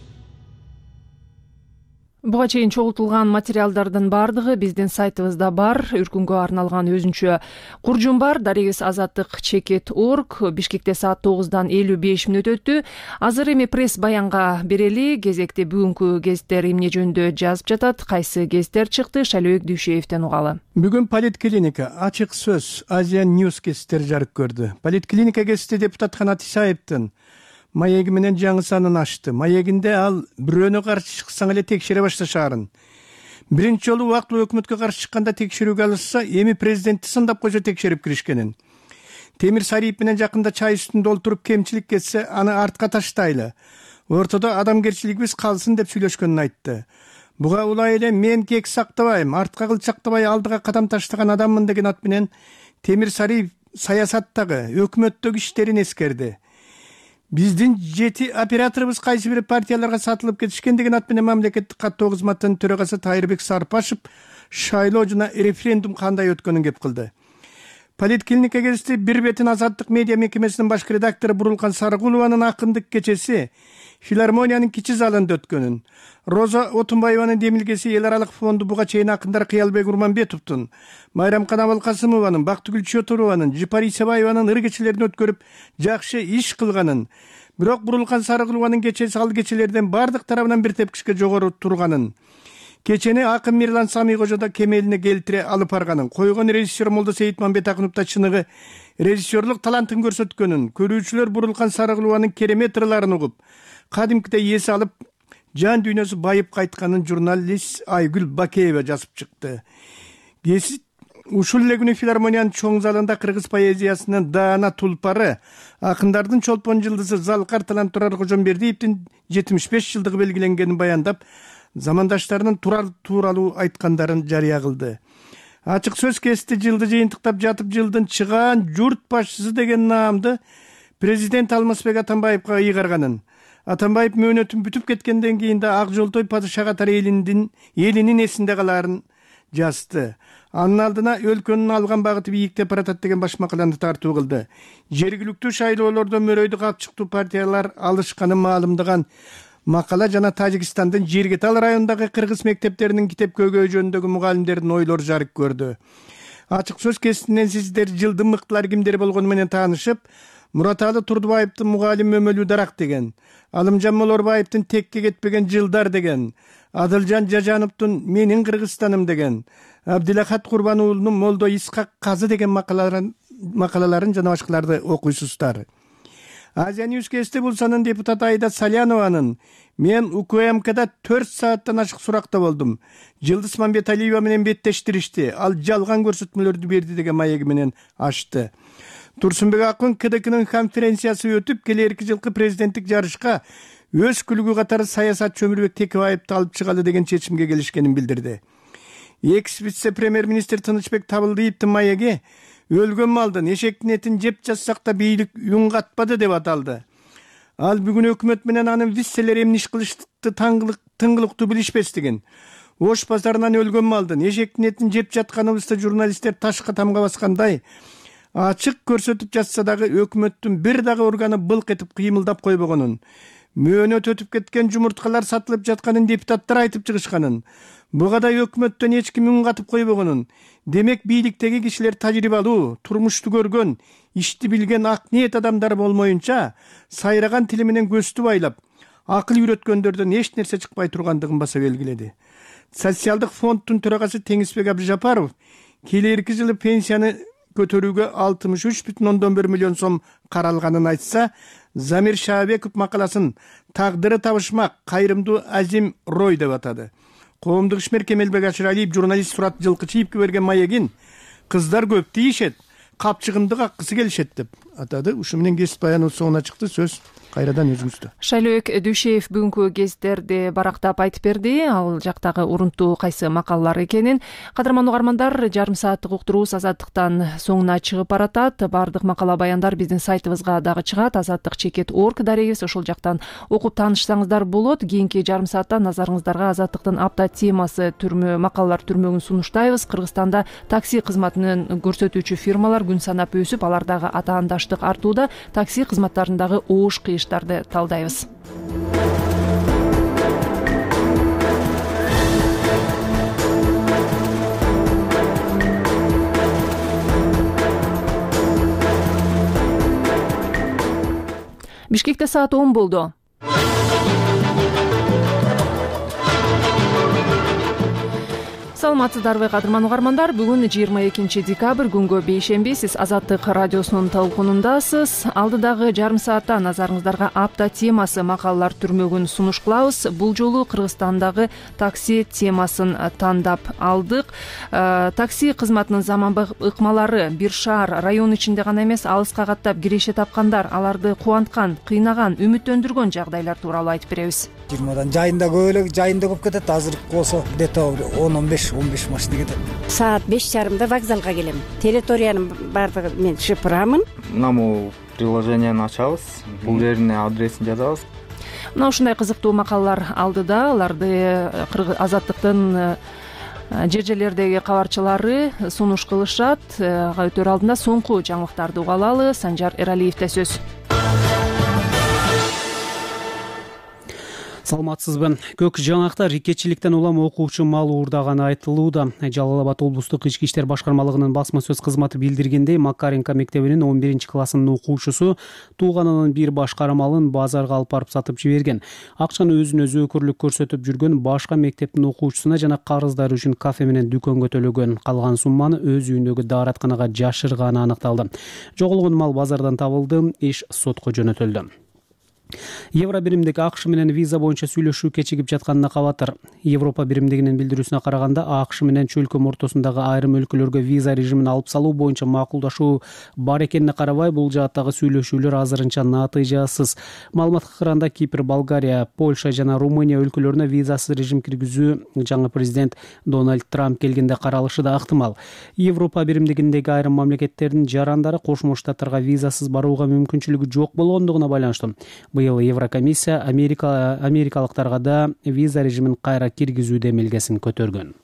Буга чейин чогултулган материалдардын баардыгы биздин сайтыбызда бар. Үркүнгө арналган өзүнчө куржум бар. Дарегибиз азаттык чекит орг. Бишкекте саат тогуздан элүү беш мүнөт өттү. Азыр эми пресс баянга берели. Кезекте бүгүнкү гезиттер эмне жөнүндө жазып жатат, кайсы гезиттер чыкты, Шайлоок Дүйшеевден угалы. Бүгүн Политклиника, Ачык сөз, Азиан Ньюс гезиттери жарык көрдү. Политклиника гезити депутат Канат Исаевдин маеги менен жаңы санын ачты. Маегинде ал бирөөнө каршы чыксаң эле текшере башташаарын. Биринчи жолу убактылуу өкмөткө каршы чыкканда текшерүүгө алышса, эми президентти сындап койсо текшерип киришкенин. Темир Сариев менен жакында чай үстүндө олтуруп кемчилик кетсе, аны артка таштайлы. Ортодо адамгерчилигибиз калсын деп сүйлөшкөнүн айтты. Буга улай эле мен кек сактабайм, артка кылчактабай алдыга кадам таштаган адаммын деген ат менен Темир Сариев саясаттагы, өкмөттөгү иштерин эскерди. Биздин жети операторубуз кайсы бир партияларга сатылып кетишкен деген ат менен мамлекеттик каттоо кызматынын төрагасы Тайырбек Сарпашев шайлоо жана референдум кандай өткөнүн кеп кылды. Политклиника гезити бир бетин Азаттык медиа мекемесинин баш редактору Бурулкан Сарыгулованын акындык кечеси филармониянын кичи залында өткөнүн, Роза Отунбаеванын демилгеси эл аралык фонду буга чейин акындар Кыялбек Урманбетовдун, Майрамкан Абылкасымованын, Бактыгүл Чотурованын, Жипар Исабаеванын ыр кечелерин өткөрүп жакшы иш кылганын, бирок Бурулкан Сарыгулованын кечеси ал кечелерден бардык тарабынан бир тепкичке жогору турганын, кечени акын Мирлан Самийкожо да кемелине келтире алып барганын, койгон режиссер Молдо Сейитмамбет Акынов да чыныгы режиссерлук талантын көрсөткөнүн, көрүүчүлөр Бурулкан Сарыгулованын керемет ырларын угуп, кадимкидей эс алып, жан дүйнөсү байып кайтканын журналист Айгүл Бакеева жазып чыкты. Гезит ушул эле күнү филармониянын чоң залында кыргыз поэзиясынын даана тулпары, акындардын чолпон жылдызы Залкар Талан Турар Кожомбердиевдин жетимиш беш жылдыгы белгиленгенин баяндап, замандаштарынын турар тууралуу айткандарын жарыя кылды. Ачык сөз кести жылды жыйынтыктап жатып, жылдын чыгаан журт башчысы деген наамды президент Алмазбек Атамбаевга ыйгарганын, Атамбаев мөөнөтүн бүтүп кеткенден кийин да Ак Жолтой падыша катары элинин элинин эсинде калаарын жазды. Анын алдына өлкөнүн алган багыты бийиктеп баратат деген баш макаланы тартуу кылды. Жергиликтүү шайлоолордо мөрөйдү капчыктуу партиялар алышканын маалымдаган макала жана Тажикстандын Жергетал районундагы кыргыз мектептеринин китеп көйгөй жөнүндөгү мугалимдердин ойлору жарык көрдү. Ачык сөз кеситинен сиздер жылдын мыктылары кимдер болгону менен таанышып, Мураталы Турдубаевдин мугалим өмөлүү дарак деген, Алымжан Молорбаевдин текке кетпеген жылдар деген, Адылжан Жажановдун менин Кыргызстаным деген, Абдилахат Курбан уулунун Молдо Исхак Казы деген макалаларын макалаларын жана башкаларды окуйсуздар. Азия Ньюс кести булсанын депутаты Айда Салянованын мен УКМКда төрт сааттан ашык суракта болдум. Жылдыз Мамбеталиева менен беттештиришти. Ал жалган көрсөтмөлөрдү берди деген маеги менен ачты. Турсунбек Акын КДКнын конференциясы өтүп, келерки жылкы президенттик жарышка өз күлүгү катары саясатчы Өмүрбек Текебаевди алып чыгалы деген чечимге келишкенин билдирди. Экс вице премьер-министр Тынычбек Табылдиевдин маеги өлгөн малдын эшектин этин жеп жатсак да бийлик үн катпады деп аталды. Ал бүгүн өкмөт менен анын виселери эмне иш кылышты тыңгылыктуу билишпестигин, Ош базарынан өлгөн малдын эшектин этин жеп жатканыбызды журналисттер ташка тамга баскандай ачык көрсөтүп жатса дагы өкмөттүн бир дагы органы былк этип кыймылдап койбогонун, мөөнөт өтүп кеткен жумурткалар сатылып жатканын депутаттар айтып чыгышканын, буга да өкмөттөн эч ким үн катып койбогонун, демек бийликтеги кишилер тажрыйбалуу, турмушту көргөн, ишти билген ак ниет адамдар болмоюнча, сайраган тили менен көздү байлап, акыл үйрөткөндөрдөн эч нерсе чыкпай тургандыгын баса белгиледи. Социалдык фонддун төрагасы Теңизбек Абдыжапаров келерки жылы пенсияны көтөрүүгө алтымыш үч бүтүн ондон бир миллион сом каралганын айтса, Замир Шаабеков макаласын тагдыры табышмак кайрымдуу азим рой деп атады. Коомдук ишмер Кемелбек Ашыралиев журналист Сурат Жылкычиевге берген маегин кыздар көп тийишет, капчыгымды каккысы келишет деп атады. Ушу менен кесип баяныбыз соңуна чыкты. Сөз кайрадан өзүңүздө. Шайлоок Дүйшеев бүгүнкү гезиттерди барактап айтып берди. Ал жактагы урунтуу кайсы макалалар экенин. Кадырман угармандар, жарым сааттык уктуруубуз Азаттыктан соңуна чыгып баратат. Бардык макала баяндар биздин сайтыбызга дагы чыгат. азаттык чекит орг дарегибиз, ошол жактан окуп таанышсаңыздар болот. Кийинки жарым саатта назарыңыздарга Азаттыктын апта темасы түрмө макалалар түрмөгүн сунуштайбыз. Кыргызстанда такси кызматын көрсөтүүчү фирмалар күн санап өсүп, алардагы атаандаштык артууда. Такси кызматтарындагы оош кыйыштарды талдайбыз. Бишкекте саат он болду. Саламатсыздарбы кадырман угармандар, бүгүн жыйырма экинчи декабрь күнгө бейшемби. Сиз Азаттык радиосунун талкунундасыз. Алдыдагы жарым саатта назарыңыздарга апта темасы макалалар түрмөгүн сунуш кылабыз. Бул жолу Кыргызстандагы такси темасын тандап алдык. Такси кызматынын заманбап ыкмалары бир шаар, район ичинде гана эмес, алыска каттап киреше тапкандар, аларды кубанткан, кыйнаган, үмүттөндүргөн жагдайлар тууралуу айтып беребиз. жыйырмадан жайында көп эле, жайында көп кетет. Азыр болсо где-то он он беш он беш машина кетет. Саат беш жарымда вокзалга келем. Территориянын баардыгын мен шыпырамын. Мына приложенияны ачабыз, бул жерине адресин жазабыз. Мына ушундай кызыктуу макалалар алдыда. Аларды Азаттыктын жер жерлердеги кабарчылары сунуш кылышат. Өтөр алдында соңку жаңылыктарды уга алалы. Санжар Эралиевде сөз. Саламатсызбы. Көк жаңактар икечиликтен улам окуучу мал уурдаганы айтылууда. Жалал Абад облустук ички иштер башкармалыгынын басма сөз кызматы билдиргендей, Макаренко мектебинин он биринчи классынын окуучусу тууганынын бир башкара малын базарга алып барып сатып жиберген. Акчаны өзүнө зөөкүрлүк көрсөтүп жүргөн башка мектептин окуучусуна жана карыздары үчүн кафе менен дүкөнгө төлөгөн. Калган сумманы өз үйүндөгү дааратканага жашырганы аныкталды. Жоголгон мал базардан табылды, иш сотко жөнөтүлдү. Евро биримдик АКШ менен виза боюнча сүйлөшүү кечигип жатканына кабатыр. Европа биримдигинин билдирүүсүнө караганда, АКШ менен чөлкөм ортосундагы айрым өлкөлөргө виза режимин алып салуу боюнча макулдашуу бар экенине карабай, бул жааттагы сүйлөшүүлөр азырынча натыйжасыз. Маалыматка караганда, Кипр, Болгария, Польша жана Румыния өлкөлөрүнө визасыз режим киргизүү жаңы президент Дональд Трамп келгенде каралышы да ыктымал. Европа биримдигиндеги айрым мамлекеттердин жарандары Кошмо Штаттарга визасыз барууга мүмкүнчүлүгү жок болгондугуна байланыштуу быйыл Еврокомиссия Америка америкалыктарга да виза режимин кайра киргизүү демилгесин көтөргөн.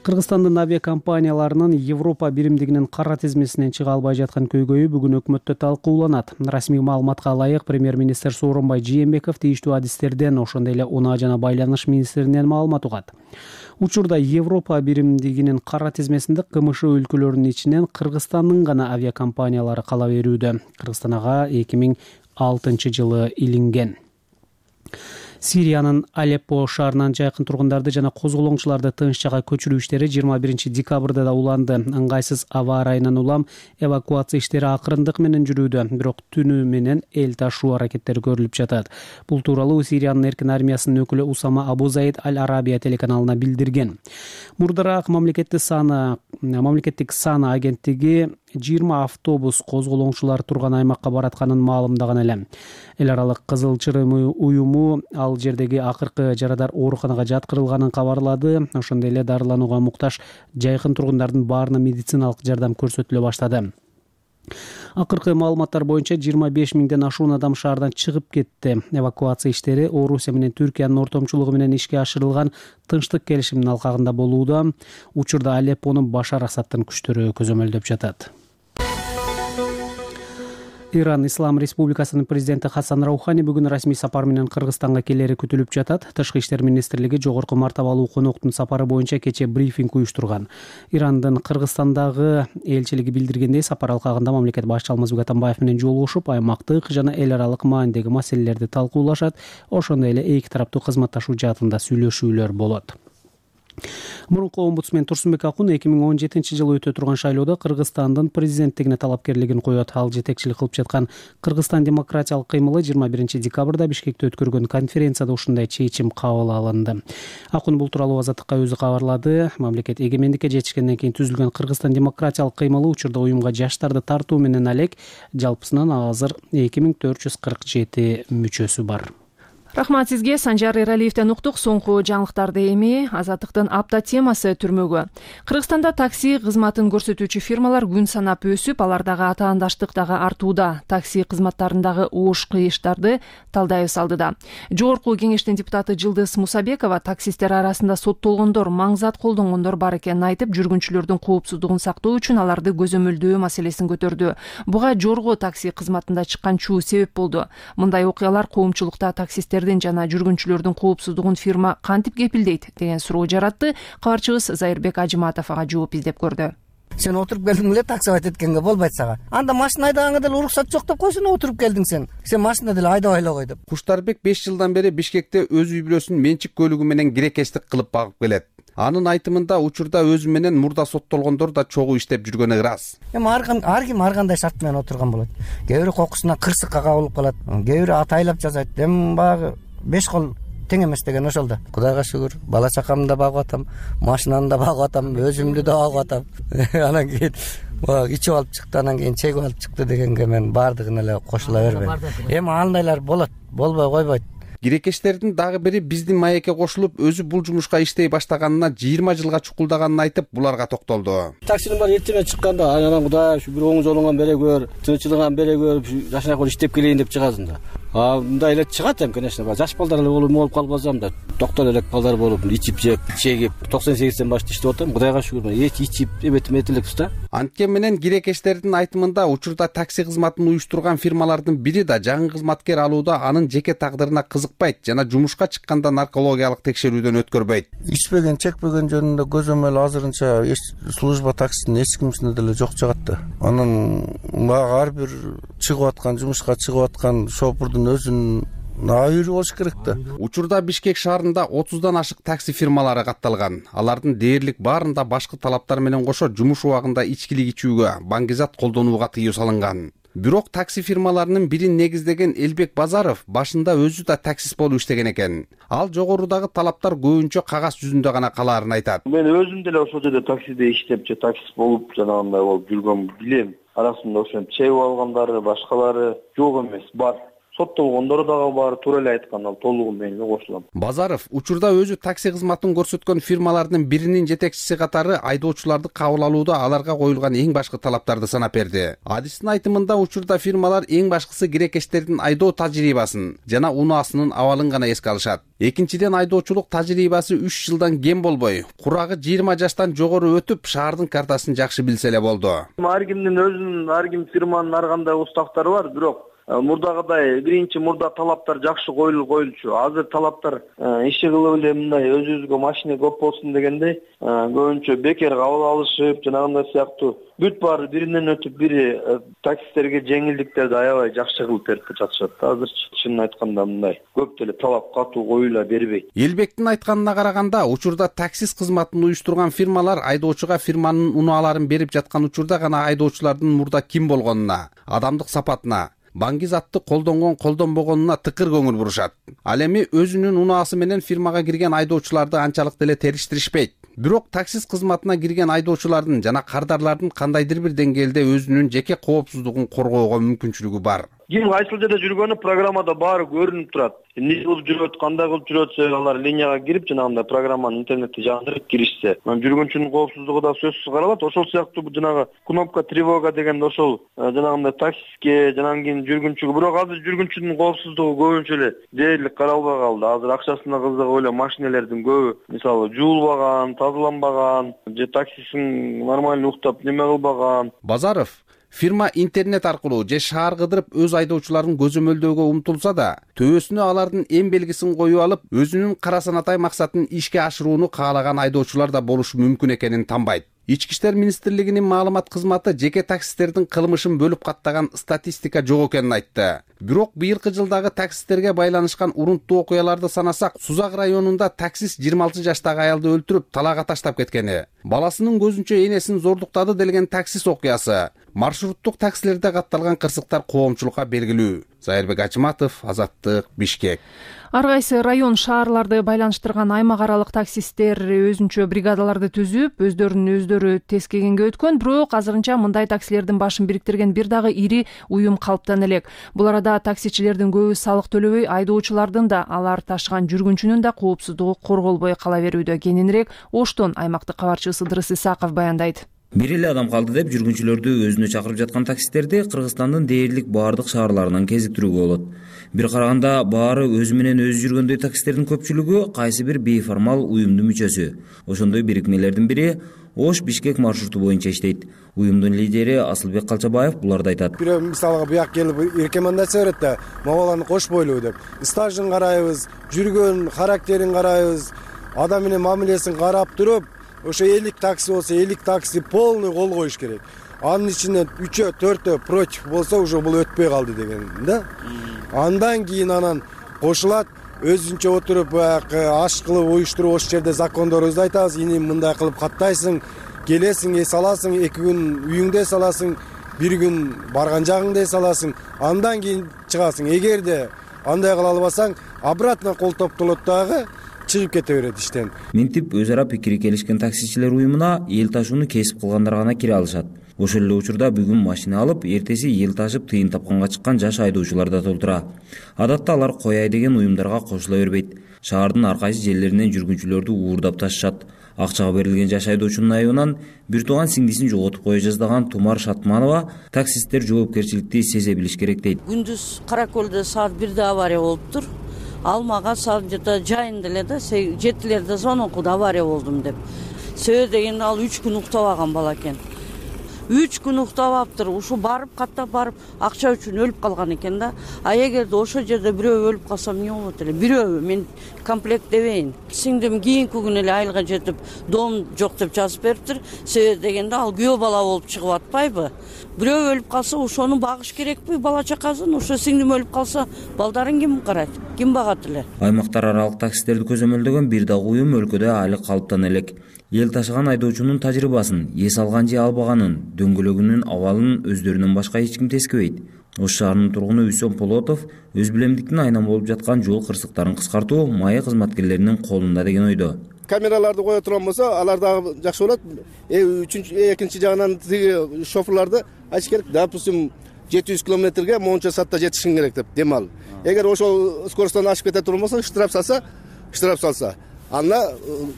Кыргызстандын авиакомпанияларынын Европа биримдигинин кара тизмесинен чыга албай жаткан көйгөйү бүгүн өкмөттө талкууланат. Расмий маалыматка ылайык, премьер-министр Сооронбай Жээнбеков тийиштүү адистерден, ошондой эле Унаа жана байланыш министринен маалымат угат. Учурда Европа биримдигинин кара тизмесинде КМШ өлкөлөрүнүн ичинен Кыргызстандын гана авиакомпаниялары кала берүүдө. Кыргызстан ага эки миң алтынчы жылы илинген. Сириянын Алеппо шаарынан жайкын тургундарды жана козголоңчуларды тынч жакка көчүрүү иштери жыйырма биринчи декабрда да уланды. Ыңгайсыз аба ырайынан улам эвакуация иштери акырындык менен жүрүүдө, бирок түнү менен эл ташуу аракеттери көрүлүп жатат. Бул тууралуу Сириянын эркин армиясынын өкүлү Усама Абу Заид Аль-Арабия телеканалына билдирген. Мурдараак мамлекеттик саны мамлекеттик саны агенттиги жыйырма автобус козголоңчулар турган аймакка баратканын маалымдаган эле. Эл аралык Кызыл Чырым уюму ал жердеги акыркы жарадар ооруканага жаткырылганын кабарлады. Ошондой эле дарыланууга муктаж жайкын тургундардын баарына медициналык жардам көрсөтүлө баштады. Акыркы маалыматтар боюнча жыйырма беш миңден ашуун адам шаардан чыгып кетти. Эвакуация иштери Орусия менен Түркиянын ортомчулугу менен ишке ашырылган тынчтык келишиминин алкагында болууда. Учурда Алеппону Башар Асадтын күчтөрү көзөмөлдөп жатат. Иран Ислам Республикасынын президенти Хасан Раухани бүгүн расмий сапар менен Кыргызстанга келери күтүлүп жатат. Тышкы иштер министрлиги жогорку мартабалуу коноктун сапары боюнча кечээ брифинг уюштурган. Ирандын Кыргызстандагы элчилиги билдиргендей, сапар алкагында мамлекет башчы Алмазбек Атамбаев менен жолугушуп, аймактык жана эл аралык маанидеги маселелерди талкуулашат. Ошондой эле эки тараптуу кызматташуу жаатында сүйлөшүүлөр болот. Мурунку омбудсмен Турсунбек Акун эки миң он жетинчи жылы өтө турган шайлоодо Кыргызстандын президенттигине талапкерлигин коет. Ал жетекчилик кылып жаткан Кыргызстан демократиялык кыймылы жыйырма биринчи декабрда Бишкекте өткөргөн конференцияда ушундай чечим кабыл алынды. Акун бул тууралуу Азаттыкка өзү кабарлады. Мамлекет эгемендикке жетишкенден кийин түзүлгөн Кыргызстан демократиялык кыймылы учурда уюмга жаштарды тартуу менен алек. Жалпысынан азыр эки миң төрт жүз кырк жети мүчөсү бар. Рахмат сизге. Санжар Эралиевден уктук. Соңку жаңылыктарды эми Азаттыктын апта темасы түрмөгү. Кыргызстанда такси кызматын көрсөтүүчү фирмалар күн санап өсүп, алардагы атаандаштык дагы артууда. Такси кызматтарындагы ууш кыйыштарды талдайбыз алдыда. Жогорку кеңештин депутаты Жылдыз Мусабекова таксисттер арасында соттолгондор, маң зат колдонгондор бар экенин айтып, жүргүнчүлөрдүн коопсуздугун сактоо үчүн аларды көзөмөлдөө маселесин көтөрдү. Буга жорго такси кызматында чыккан чуу себеп болду. Мындай окуялар коомчулукта таксисттер жана жүргүнчүлөрдүн коопсуздугун фирма кантип кепилдейт деген суроо жаратты. Кабарчыбыз Зайырбек Ажыматов ага жооп издеп көрдү. Сен отуруп келдиң эле таксовать эткенге болбойт сага. Анда машина айдагanga деле уруксат жок деп койсун, отуруп келдиң сен. Сен машина деле айдабай эле кой деп. Куштарбек беш жылдан бери Бишкекте өз үй бүлөсүн менчик көлүгү менен кирекештик кылып багып келет. Анын айтымында учурда өзү менен мурда соттолгондор да чогуу иштеп жүргөнү ырас. Эми ар ким ар кандай шарт менен отурган болот. Кээ бири кокусунан кырсыкка кабылып калат, кээ бири атайлап жасайт. Эми багы беш кол тең эмес деген ошол да. Кудайга шүгүр, бала чакамды да багып атам, машинаны да багып атам, өзүмдү да багып атам. Анан кийин баягы ичип алып чыкты, анан кийин чегип алып чыкты дегенге мен баардыгына эле кошула бербейм. Эми андайлар болот, болбой койбойт. Кирекештердин дагы бири биздин маекке кошулуп, өзү бул жумушка иштей баштаганына жыйырма жылга чукулдаганын айтып, буларга токтолду. Таксинин баары эртеме чыкканда, анан Кудай ушу бир оң жолуңан бере көр, тынччылыган бере көр, жашына көр иштеп келейин деп чыгасың да. А мындай эле чыгат эми, конечно, жаш балдар эле болуп болуп калбасам да, доктор элек балдар болуп, ичип жеп, чегип, токсон сегизден баштап иштеп атам. Кудайга шүгүр, эч ичип, эбетим этилекпиз да. Анткени менен кирекештердин айтымында учурда такси кызматын уюштурган фирмалардын бири да жаңы кызматкер алууда анын жеке тагдырына кызыкпайт жана жумушка чыкканда наркологиялык текшерүүдөн өткөрбөйт. Ичпеген, чекпеген жөнүндө көзөмөл азырынча служба таксинин эч кимисинде деле жок чыгат да. Анын мага ар бир чыгып аткан, жумушка чыгып аткан шофурдун өзүнүн айыры болуш керек да. Учурда Бишкек шаарында отуздан ашык такси фирмалары катталган. Алардын дээрлик баарында башкы талаптар менен кошо жумуш убагында ичкилик ичүүгө, баңгизат колдонууга тыюу салынган. Бирок такси фирмаларынын бирин негиздеген Элбек Базаров башында өзү да таксист болуп иштеген экен. Ал жогорудагы талаптар көбүнчө кагаз жүзүндө гана калаарын айтат. Мен өзүм деле ошол жерде таксиде иштеп, же таксист болуп жанагындай болуп жүргөн билем. Арасында ошентип чегип алгандары, башкалары жок эмес, бар. Соттолгондор дагы бар, туура эле айткан, ал толугу менен кошулам. Базаров учурда өзү такси кызматын көрсөткөн фирмалардын биринин жетекчиси катары айдоочуларды кабыл алууда аларга коюлган эң башкы талаптарды санап берди. Адистин айтымында учурда фирмалар эң башкысы кирекештердин айдоо тажрыйбасын жана унаасынын абалын гана эске алышат. Экинчиден, айдоочулук тажрыйбасы үч жылдан кем болбой, курагы жыйырма жаштан жогору өтүп, шаардын картасын жакшы билсе эле болду. Ар кимдин өзүнүн, ар ким фирманын ар кандай устактары бар, бирок мурдагыдай биринчи мурда талаптар жакшы коюлуп коюлчу. Азыр талаптар иши кылып эле мындай өзүбүзгө машина көп болсун дегендей көбүнчө бекер кабыл алышып, жанагындай сыяктуу бүт баары биринен өтүп, бири таксисттерге жеңилдиктерди аябай жакшы кылып берип жатышат. Азырчы чынын айтканда мындай көп деле талап катуу коюла бербейт. Элбектин айтканына караганда, учурда таксист кызматын уюштурган фирмалар айдоочуга фирманын унааларын берип жаткан учурда гана айдоочулардын мурда ким болгонуна, адамдык сапатына, баңгизатты колдонгон колдонбогонуна тыкыр көңүл бурушат. Ал эми өзүнүн унаасы менен фирмага кирген айдоочуларды анчалык деле териштиришпейт. Бирок таксист кызматына кирген айдоочулардын жана кардарлардын кандайдыр бир деңгээлде өзүнүн жеке коопсуздугун коргоого мүмкүнчүлүгү бар. Ким кайсыл жерде жүргөнү программада баары көрүнүп турат. Эмне кылып жүрөт, кандай кылып жүрөтсө, алар линияга кирип, жанагындай программаны интернетте жандырып киришсе, жүргүнчүнүн коопсуздугу да сөзсүз каралат. Ошол сыяктуу жанагы кнопка тревога деген ошол жанагындай таксистке, жанан кийин жүргүнчүгө, бирок азыр жүргүнчүнүн коопсуздугу көбүнчө эле дээрлик каралбай калды. Азыр акчасына кызыгып эле машинелердин көбү, мисалы, жуулбаган, тазаланбаган, же таксисин нормально уктап неме кылбаган. Базаров фирма интернет аркылуу же шаар кыдырып өз айдоочуларын көзөмөлдөөгө умтулса да, төбөсүнө алардын эң белгисин коюп алып, өзүнүн кара санатай максатын ишке ашырууну каалаган айдоочулар да болушу мүмкүн экенин танбайт. Ички иштер министрлигинин маалымат кызматы жеке таксисттердин кылмышын бөлүп каттаган статистика жок экенин айтты. Бирок быйылкы жылдагы таксисттерге байланышкан урунттуу окуяларды санасак, Сузак районунда таксист жыйырма алты жаштагы аялды өлтүрүп, талаага таштап кеткени, баласынын көзүнчө энесин зордуктады делген таксист окуясы, маршруттук таксилерде катталган кырсыктар коомчулукка белгилүү. Зайырбек Ачматов, Азаттык, Бишкек. Ар кайсы район шаарларды байланыштырган аймак аралык таксисттер өзүнчө бригадаларды түзүп, өздөрүнүн өздөрү тескегенге өткөн, бирок азырынча мындай таксилердин башын бириктирген бир дагы ири уюм калыптан элек. Бул арада таксичилердин көбү салык төлөбөй, айдоочулардын да, алар ташыган жүргүнчүнүн да коопсуздугу корголбой кала берүүдө. Кененирээк Оштон аймактык кабарчысы Ыдырыс Исаков баяндайт. Бир эле адам калды деп жүргүнчүлөрдү өзүнө чакырып жаткан таксисттерди Кыргызстандын дээрлик баардык шаарларынан кезиктирүүгө болот. Бир караганда баары өзү менен өзү жүргөндөй таксисттердин көпчүлүгү кайсы бир бейформал уюмдун мүчөсү. Ошондой бирикмелердин бири Ош Бишкек маршруту боюнча иштейт. Уюмдун лидери Асылбек Калчабаев буларды айтат. Бирөө мисалга буяк келип рекомендация берет да, могуланы кошпойлу деп. Стажын карайбыз, жүргөн характерин карайбыз, адам менен мамилесин карап туруп, ошо элүү такси болсо элүү такси полный кол коюш керек. Анын ичинен үчөө төртөө против болсо уже бул өтпөй калды деген да. Андан кийин анан кошулат, өзүнчө отуруп баягы аш кылып уюштуруп ошол жерде закондорубузду айтабыз, ини мындай кылып каттайсың, келесиң, эс аласың, эки күн үйүңдө эс аласың, бир күн барган жагыңда эс аласың, андан кийин чыгасың. Эгерде андай кыла албасаң, обратно кол топтолот дагы чыгып кете берет иштен. Минтип өз ара пикири келишкен таксичилер уюмуна эл ташууну кесип кылгандар гана кире алышат. Ошол эле учурда бүгүн машина алып, эртеси эл ташып тыйын тапканга чыккан жаш айдоочулар да толтура. Адатта алар кояй деген уюмдарга кошула бербейт. Шаардын ар кайсы жерлеринен жүргүнчүлөрдү уурдап ташышат. Акчага берилген жаш айдоочунун айыбынан бир тууган сиңдисин жоготуп кое жаздаган Тумар Шатманова таксисттер жоопкерчиликти сезе билиш керек дейт. Күндүз Каракөлдө саат бирде авария болуптур. Ал мага саат жайында эле да жетилерде звонок авария болдум деп. Сөө дегенде ал үч күн уктабаган бала экен. үч күн уктабаптыр. Ушу барып каттап барып акча үчүн өлүп калган экен да. А эгерде ошол жерде бирөө өлүп калса эмне болот эле? Бирөө мен комплект дебейин. Сиңдим кийинки күнү эле айылга жетип дом жок деп жазып бериптир. Себеби дегенде ал күйөө бала болуп чыгып атпайбы? Бирөө өлүп калса ошону багыш керекпи бала чакасын? Ошо сиңдим өлүп калса балдарын ким карайт? Ким багат эле? Аймактар аралык таксистерди көзөмөлдөгөн бир дагы уюм өлкөдө али калыптана элек. Эл ташыган айдоочунун тажрыйбасын, эс алган же албаганын, дөңгөлөгүнүн абалын өздөрүнөн башка эч ким тескебейт. Ош шаарынын тургуну Үсөн Полотов өз билемдиктин айнам болуп жаткан жол кырсыктарын кыскартуу майя кызматкерлеринин колунда деген ойдо. Камераларды кое турган болсо, алар дагы жакшы болот. Үчүнчү, экинчи жагынан тиги шоферларды айтыш керек. Допустим, жети жүз километрге монча саатта жетишиң керек деп демал. Эгер ошол скоростон ашып кете турган болсо, штраф салса, штраф салса, анда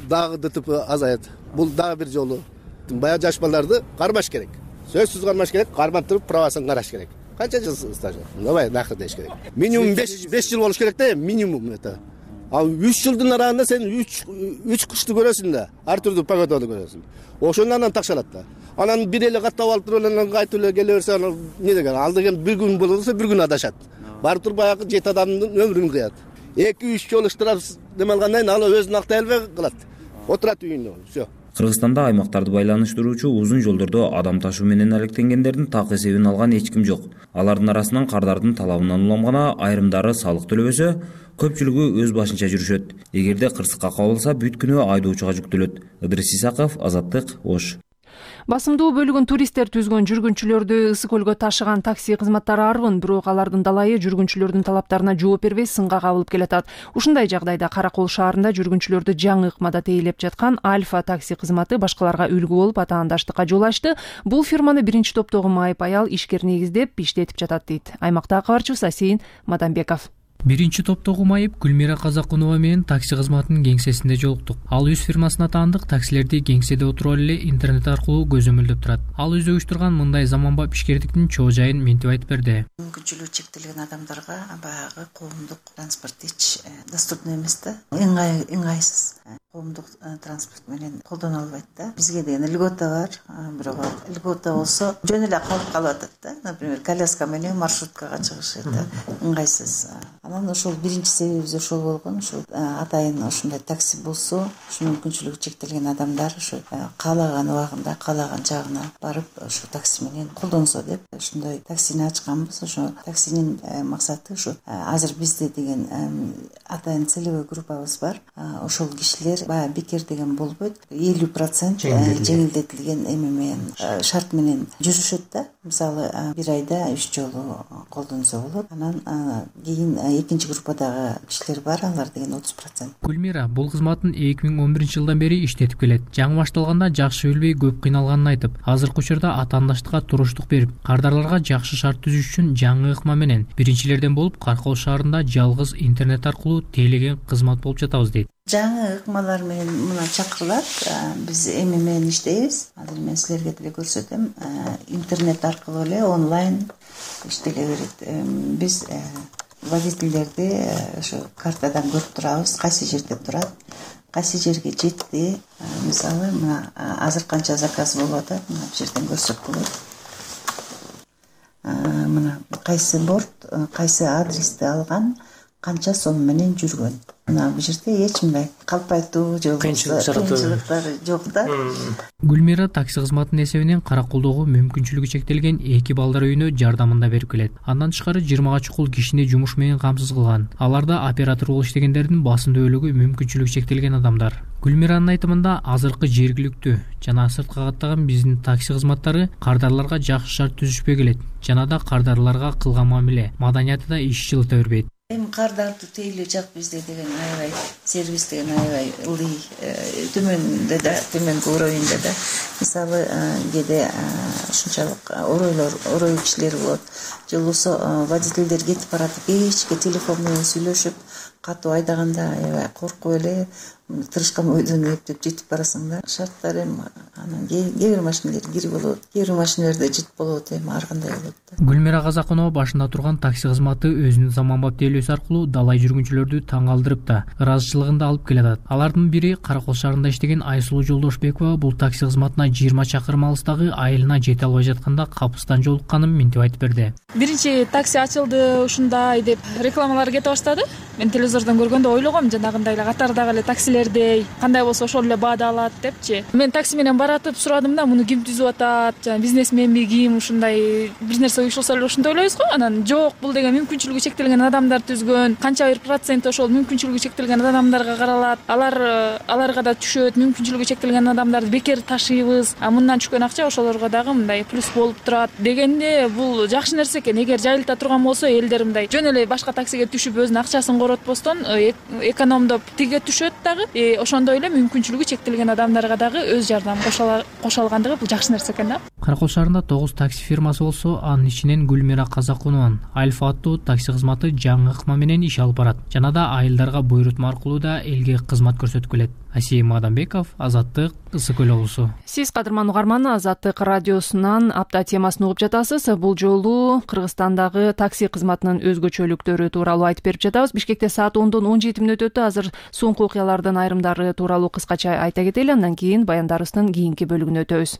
дагы ДТП азаят. Бул дагы бир жолу. Баягы жаш балдарды кармаш керек. Сөзсүз кармаш керек, кармап туруп правасын караш керек. Канча жыл стажы? Давай нахыр деш керек. Минимум беш жыл болуш керек да, минимум это. А үч жылдын аралыгында сен үч кышты көрөсүң да, ар түрдүү погоданы көрөсүң. Ошондон анан такшалат да. Анан бир эле каттап алып туруп анан кайтып эле келе берсе, анан эмне деген? Ал деген бир күн болсо бир күн адашат. Барып туруп баягы жети адамдын өмүрүн кыят. эки үч жолу штраф неме алгандан кийин ал өзүн актай албай калат. Отурат үйүндө. Всё. Кыргызстанда аймактарды байланыштыруучу узун жолдордо адам ташуу менен алектенгендердин так эсебин алган эч ким жок. Алардын арасынан кардардын талабынан улам гана айрымдары салык төлөбөсө, көпчүлүгү өз башынча жүрүшөт. Эгерде кырсыкка кабылса, бүт күнү айдоочуга жүктөлөт. Ыдырыс Исаков, Азаттык, Ош. Басымдуу бөлүгүн туристтер түзгөн жүргүнчүлөрдү Ысык көлгө ташыган такси кызматтары арбын, бирок алардын далайы жүргүнчүлөрдүн талаптарына жооп бербей сынга кабылып келатат. Ушундай жагдайда Каракол шаарында жүргүнчүлөрдү жаңы ыкмада тейлеп жаткан Альфа такси кызматы башкаларга үлгү болуп атаандаштыкка жол ачты. Бул фирманы биринчи топтогу майып аял ишкер негиздеп иштетип жатат дейт. Аймактагы кабарчыбыз Асейин Мадамбеков. Биринчи топтогу майып Гүлмира Казакунова менен такси кызматынын кеңсесинде жолуктук. Ал өз фирмасына таандык таксилерди кеңседе отуруп эле интернет аркылуу көзөмөлдөп турат. Ал өзү уюштурган мындай заманбап ишкердиктин чоо жайын мынтип айтып берди. Мүмкүнчүлүгү чектелген адамдарга баягы коомдук транспорт эч доступный эмес да. Ыңгай ыңгайсыз. Коомдук транспорт менен колдоно албайт да. Бизге деген льгота бар, бирок льгота болсо жөн эле калып калып атат да. Например, коляска менен маршруткага чыгыш это ыңгайсыз. Анан ошол биринчи себебибиз ошол болгон. Ошол атайын ошондой такси болсо, ушу мүмкүнчүлүгү чектелген адамдар ушу каалаган убагында, каалаган жагына барып, ошо такси менен колдонсо деп ошондой таксини ачканбыз. Ошо таксинин максаты ушу азыр бизде деген атайын целевой группабыз бар. Ошол кишилер баягы бекер деген болбойт. элүү процент жеңилдетилген эме менен шарт менен жүрүшөт да. Мисалы бир айда үч жолу колдонсо болот. Анан кийин экинчи группадагы кишилер бар, алар деген отуз процент. Гүлмира бул кызматын эки миң он биринчи жылдан бери иштетип келет. Жаңы башталганда жакшы билбей көп кыйналганын айтып, азыркы учурда атаандаштыкка туруштук берип, кардарларга жакшы шарт түзүш үчүн жаңы ыкма менен биринчилерден болуп Каракол шаарында жалгыз интернет аркылуу тейлеген кызмат болуп жатабыз дейт. Жаңы ыкмалар менен мына чакырылат. Биз эми менен иштейбиз. Азыр мен силерге деле көрсөтөм. Интернет аркылуу эле онлайн иштеле берет. Биз водительдерди ошо картадан көрүп турабыз, кайсы жерде турат, кайсы жерге жетти. Мисалы, мына азыр канча заказ болуп атат, мына бул жерден көрсөк болот. Мына кайсы борт, кайсы адрести алган, канча сом менен жүргөн. мына бул жерде эч мындай калпайтуу же кыйынчылыктар жок да. Гүлмира такси кызматынын эсебинен Каракулдогу мүмкүнчүлүгү чектелген эки балдар үйүнө жардамында берип келет. Андан тышкары жыйырмага чукул кишини жумуш менен камсыз кылган. Аларда оператор болуп иштегендердин басымдуу бөлүгү мүмкүнчүлүгү чектелген адамдар. Гүлмиранын айтымында азыркы жергиликтүү жана сырткы каттаган биздин такси кызматтары кардарларга жакшы шарт түзүшпөй келет жана да кардарларга кылган мамиле, маданияты да иш жылыта бербейт. Эми кардарды тейлөө жак бизде деген аябай сервис деген аябай ылдый, төмөндө да, төмөнкү уровеньде да. Мисалы кээде ушунчалык оройлор, орой кишилер болот. Же болбосо водительдер кетип баратып, кечке телефон менен сүйлөшүп, катуу айдаганда аябай коркуп эле тырышкан бойдон эптеп жетип барасың да. Шарттар эми анан кээ бир машинелер кирип болот, кээ бир машинелерде жыт болот, эми ар кандай болот да. Гүлмира Казакунова башында турган такси кызматы өзүнүн заманбап тейлөөсү аркылуу далай жүргүнчүлөрдү таң калтырып да, ыраазычылыгын да алып келатат. Алардын бири Каракол шаарында иштеген Айсулуу Жолдошбекова бул такси кызматына жыйырма чакырым алыстагы айылына жете албай жатканда капыстан жолукканын минтип айтып берди. Биринчи такси ачылды ушундай деп рекламалар кете баштады. Мен телевизордон көргөндө ойлогом жанагындай эле катардагы эле таксилердей, кандай болсо ошол эле баада алат депчи. Мен такси менен баратып сурадым да, муну ким түзүп атат, жана бизнесменби ким, ушундай бир нерсе уюшулса эле ушундай ойлойбуз го. Анан жок, бул деген мүмкүнчүлүгү чектелген адамдар түзгөн, канча бир процент ошол мүмкүнчүлүгү чектелген адамдарга каралат. Алар аларга да түшөт, мүмкүнчүлүгү чектелген адамдарды бекер ташыйбыз. А мындан түшкөн акча ошолорго дагы мындай плюс болуп турат дегенде, бул жакшы нерсе экен. Эгер жайылта турган болсо, элдер мындай жөн эле башка таксиге түшүп өзүнүн акчасын коротпостон экономдоп тиге түшөт дагы. Ошондой эле мүмкүнчүлүгү чектелген адамдарга дагы өз жардам кошо алгандыгы бул жакшы нерсе экен да. Каракол шаарында тогуз такси фирмасы болсо, анын ичинен Гүлмира Казакунованын Альфа аттуу такси кызматы жаңы ыкма менен иш алып барат. Жана да айылдарга буйрутма аркылуу да элге кызмат көрсөтүп келет. Асим Адамбеков, Азаттык, Ысык Көл облусу. Сиз кадырман угарман, Азаттык радиосунан апта темасын угуп жатасыз. Бул жолу Кыргызстандагы такси кызматынын өзгөчөлүктөрү тууралуу айтып берип жатабыз. Бишкекте саат ондон он жети мүнөт өтө. Азыр соңку окуялардын айрымдары тууралуу кыскача айта кетели, андан кийин баяндарыбыздын кийинки бөлүгүнө өтөбүз.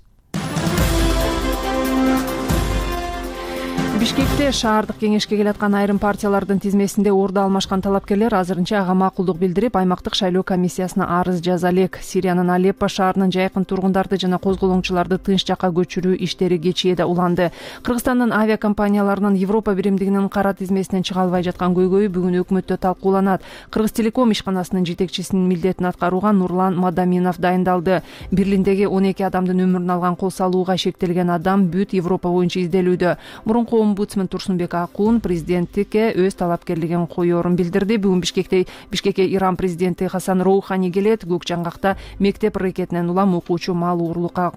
Бишкекте шаардык кеңешке келаткан айрым партиялардын тизмесинде орду алмашкан талапкерлер азырынча ага макулдук билдирип, аймактык шайлоо комиссиясына арыз жаза элек. Сириянын Алеппо шаарынын жайкын тургундарды жана козголоңчуларды тынч жакка көчүрүү иштери кечээде уланды. Кыргызстандын авиакомпанияларынын Европа биримдигинин кара тизмесинен чыга албай жаткан көйгөйү бүгүн өкмөттө талкууланат. Кыргызтелеком ишканасынын жетекчисинин милдетин аткарууга Нурлан Мадаминов дайындалды. Берлиндеги он эки адамдын өмүрүн алган кол салууга шектелген адам бүт Европа боюнча изделүүдө. Мурунку омбудсмен Турсунбек Акун президенттикке өз талапкерлигин коерун билдирди. Бүгүн Бишкекте Бишкекке Иран президенти Хасан Роухани келет. Көк жаңгакта мектеп ракетинен улам окуучу мал уурлукка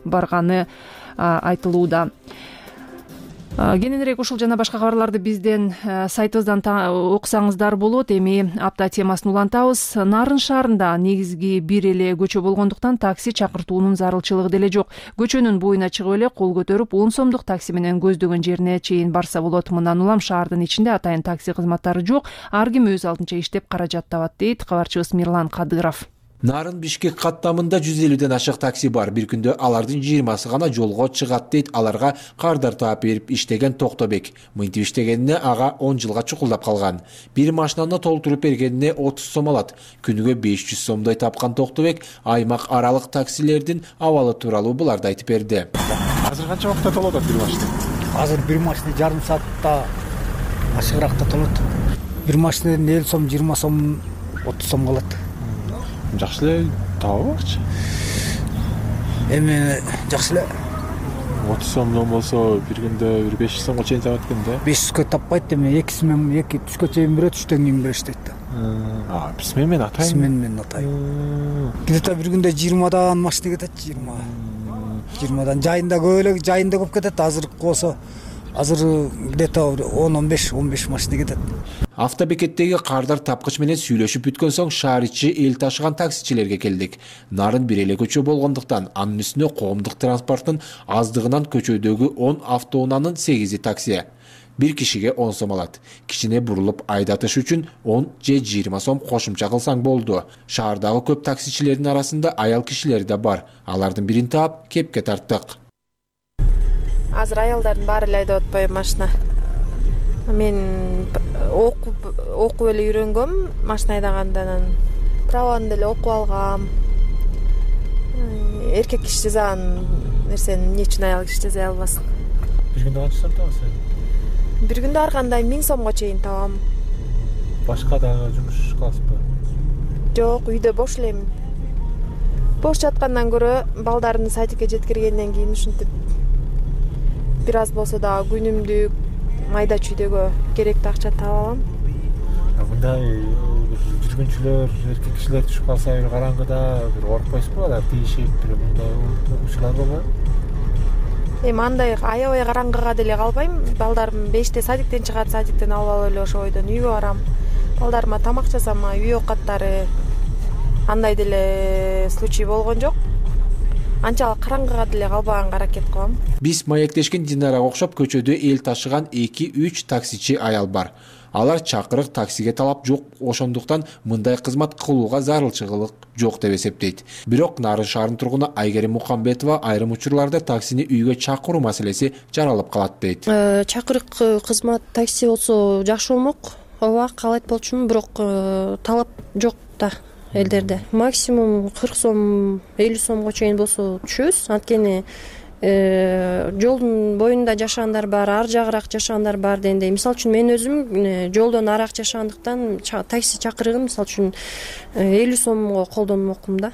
барганы айтылууда. Кененирээк ушул жана башка кабарларды бизден сайтыбыздан окусаңыздар болот. Эми апта темасын улантабыз. Нарын шаарында негизги бир эле көчө болгондуктан такси чакыртуунун зарылчылыгы деле жок. Көчөнүн боюна чыгып эле кол көтөрүп он сомдук такси менен көздөгөн жерине чейин барса болот. Мындан улам шаардын ичинде атайын такси кызматтары жок. Ар ким өз алдынча иштеп каражат табат, дейт кабарчыбыз Мирлан Кадыров. Нарын Бишкек каттамында жүз элүүдөн ашык такси бар. Бир күндө алардын жыйырмасы гана жолго чыгат, дейт аларга кардар таап берип иштеген Токтобек. Мынтип иштегенине ага он жылга чукулдап калган. Бир машинаны толтуруп бергенине отуз сом алат. Күнүгө беш жүз сомдой тапкан Токтобек аймак аралык таксилердин абалы тууралуу буларды айтып берди. Азыр канча убакытта толот бир машина? Азыр бир машина жарым саатта ашыгыракта толот. Бир машинадан элүү сом, жыйырма сом, отуз сом калат. Жакшы эле табабычы? Эми жакшы эле. отуз сомдон болсо бир күндө бир беш жүз сомго чейин табат экен да. беш жүзгө таппайт, эми эки смен эки түшкө чейин берет, түштөн кийин беришет дейт. А, смен менен атайын. Смен менен атайын. Где-то бир күндө жыйырмадан машина кетет, жыйырма. жыйырмадан жайында көп эле, жайында көп кетет. Азыркы болсо азыр где-то он он беш он беш машина кетет. Автобекеттеги кардар тапкыч менен сүйлөшүп бүткөн соң шаар ичи эл ташыган таксичилерге келдик. Нарын бир эле көчө болгондуктан анын үстүнө коомдук транспорттун аздыгынан көчөдөгү он автоунаанын сегизи такси. Бир кишиге он сом алат. Кичине бурулуп айдатыш үчүн он же жыйырма сом кошумча кылсаң болду. Шаардагы көп таксичилердин арасында аял кишилер да бар. Алардын бирин таап кепке тарттык. Азыр аялдардын баары эле айдап атпайбы машина. Мен окуп окуп эле үйрөнгөм машина айдаганда, анан праваны деле окуп алгам. Эркек киши жасаган нерсени эмне үчүн аял киши жасай албасын? Бир күндө канча сом табасың? Бир күндө ар кандай миң сомго чейин табам. Башка дагы жумуш кыласызбы? Жок, үйдө бош элем. Бош жаткандан көрө балдарымды садикке жеткиргенден кийин ушинтип бир аз болсо дагы күнүмдүк майда чүйдөгө керектүү акча таап алам. Мындай жүргүнчүлөр, эркек кишилер түшүп калса бир караңгыда бир коркпойсузбу? Алар тийишип бир мындай учурлар болбойбу? Эми андай аябай караңгыга деле калбайм. Балдарым беште садиктен чыгат, садиктен алып алып эле ошо бойдон үйгө барам. Балдарыма тамак жасам, үй оокаттары андай деле случай болгон жок. Анчалык караңгыга деле калбаганга аракет кылам. Биз маектешкен Динарага окшоп көчөдө эл ташыган эки үч таксичи аял бар. Алар чакырык таксиге талап жок, ошондуктан мындай кызмат кылууга зарылчылык жок деп эсептейт. Бирок Нарын шаарынын тургуну Айгерим Мукамбетова айрым учурларда таксини үйгө чакыруу маселеси жаралып калат дейт. Чакырык кызмат такси болсо жакшы болмок. Ооба, каалайт болчумун, бирок талап жок да элдерде. Максимум кырк сом, элүү сомго чейин болсо түшөбүз. Анткени жолдун боюнда жашагандар бар, ар жагыраак жашагандар бар дегендей. Мисалы үчүн мен өзүм жолдон араак жашагандыктан такси чакырыгын мисалы үчүн элүү сомго колдонмокмун да.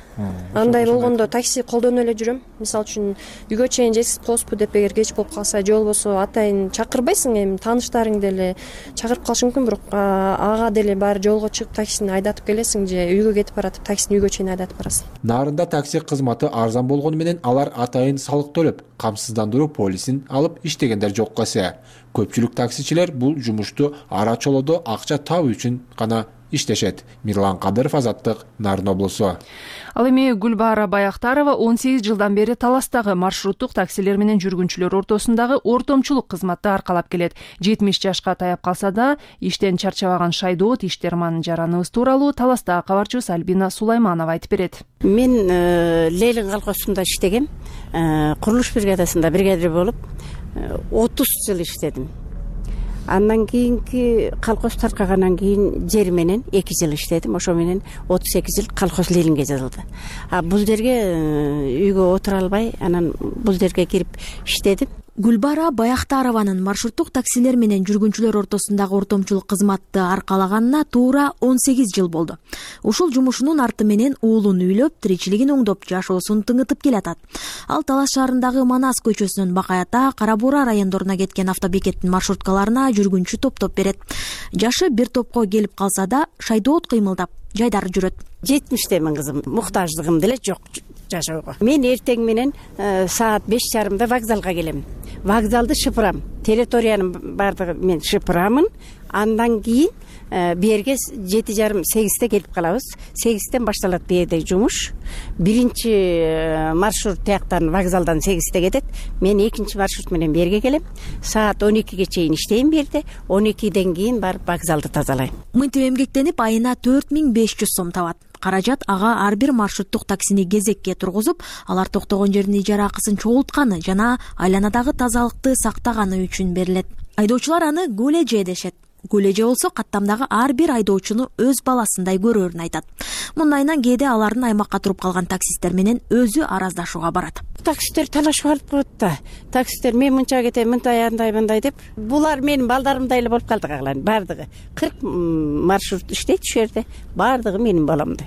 Андай болгондо такси колдонуп эле жүрөм. Мисалы үчүн үйгө чейин жеткизип коесузбу деп эгер кеч болуп калса, же болбосо атайын чакырбайсың, эми тааныштарың деле чакырып калышы мүмкүн, бирок ага деле баары жолго чыгып таксини айдатып келесиң, же үйгө кетип баратып таксини үйгө чейин айдатып барасың. Нарында такси кызматы арзан болгону менен алар атайын салык төлөп, камсыздандыруу полисин алып иштегендер жокко эсе. Көпчүлүк таксичилер бул жумушту ара чолодо акча табуу үчүн гана иштешет. Мирлан Кадыров, Азаттык, Нарын облусу. Ал эми Гүлбаара Баяктарова он сегиз жылдан бери Таластагы маршруттук таксилер менен жүргүнчүлөр ортосундагы ортомчулук кызматты аркалап келет. жетимиш жашка таяп калса да иштен чарчабаган Шайдоот Иштерман жараныбыз тууралуу Таластагы кабарчыбыз Альбина Сулайманова айтып берет. Мен Лейлин колхозунда иштегем. Курулуш бригадасында бригадир болуп отуз жыл иштедим. Андан кийинки колхоз таркагандан кийин жер менен эки жыл иштедим. Ошо менен отуз эки жыл колхоз Лелинге жазылды. А бул жерге үйгө отура албай, анан бул жерге кирип иштедим. Гүлбаара Баяктарованын маршруттук таксилер менен жүргүнчүлөр ортосундагы ортомчулук кызматты аркалаганына туура он сегиз жыл болду. Ушул жумушунун арты менен уулун үйлөп, тиричилигин оңдоп, жашоосун тыңытып келатат. Ал Талас шаарындагы Манас көчөсүнөн Бакай Ата, Кара Буура райондоруна кеткен автобекеттин маршруткаларына жүргүнчү топтоп берет. Жашы бир топко келип калса да, Шайдоот кыймылдап, жайдары жүрөт. жетимиштемин кызым, муктаждыгым деле жок жашоого. Мен эртең менен саат беш жарымда вокзалга келем. Вокзалды шыпырам. Территориянын бардыгы мен шыпырамын. Андан кийин берге жети жарым сегизде келип калабыз. сегизден башталат берде жумуш. Биринчи маршрут тияктан вокзалдан сегизде кетет. Мен экинчи маршрут менен берге келем. Саат он экиге чейин иштейм берде. он экиден кийин барып вокзалды тазалайм. Мынтип эмгектенип айына төрт миң беш жүз сом табат. Каражат ага ар бир маршруттук таксини кезекке тургузуп, алар токтогон жердин ижара акысын чогултканы жана айланадагы тазалыкты сактаганы үчүн берилет. Айдоочулар аны көлеже дешет. Көлеже болсо каттамдагы ар бир айдоочуну өз баласындай көрөрүн айтат. Мындайынан кээде алардын аймакка туруп калган таксисттер менен өзү араздашууга барат. Таксисттер талашып алып коет да. Таксисттер мен мынча кетем, мындай андай мындай деп. Булар менин балдарымдай эле болуп калды калган. Бардыгы кырк маршрут иштейт ушул жерде. Бардыгы менин баламдай.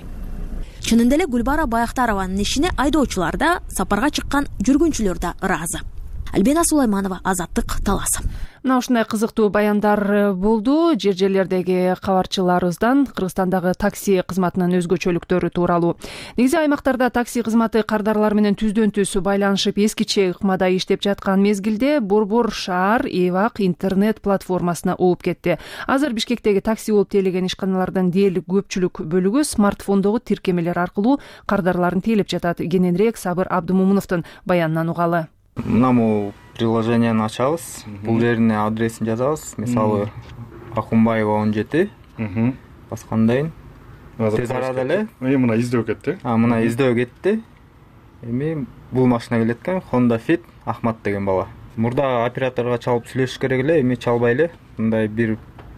Чынында эле Гүлбаара Баяктарованын ишине айдоочулар да, сапарга чыккан жүргүнчүлөр да ыраазы. Альбина Сулайманова, Азаттык, Талас. Мына ушундай кызыктуу баяндар болду. Жер жерлердеги кабарчыларыбыздан Кыргызстандагы такси кызматынын өзгөчөлүктөрү тууралуу. Негизи аймактарда такси кызматы кардарлар менен түздөн түз байланышып эскиче ыкмада иштеп жаткан мезгилде Борбор шаар Эвак интернет платформасына ооп кетти. Азыр Бишкектеги такси болуп тейлеген ишканалардын дээрлик көпчүлүк бөлүгү смартфондогу тиркемелер аркылуу кардарларын тейлеп жатат. Кененирээк Сабыр Абдымомуновдун баянынан угалы. Мынаму приложениени ачабыз, бул жерине адресин жазабыз. Мисалы Акунбаева он жети баскандайын тез арада эле мына издөө кетти. А мына издөө кетти. Эми бул машина келет экен, Honda Fit Ахмат деген бала. Мурда операторго чалып сүйлөшүш керек эле, эми чалбай эле. Мындай бир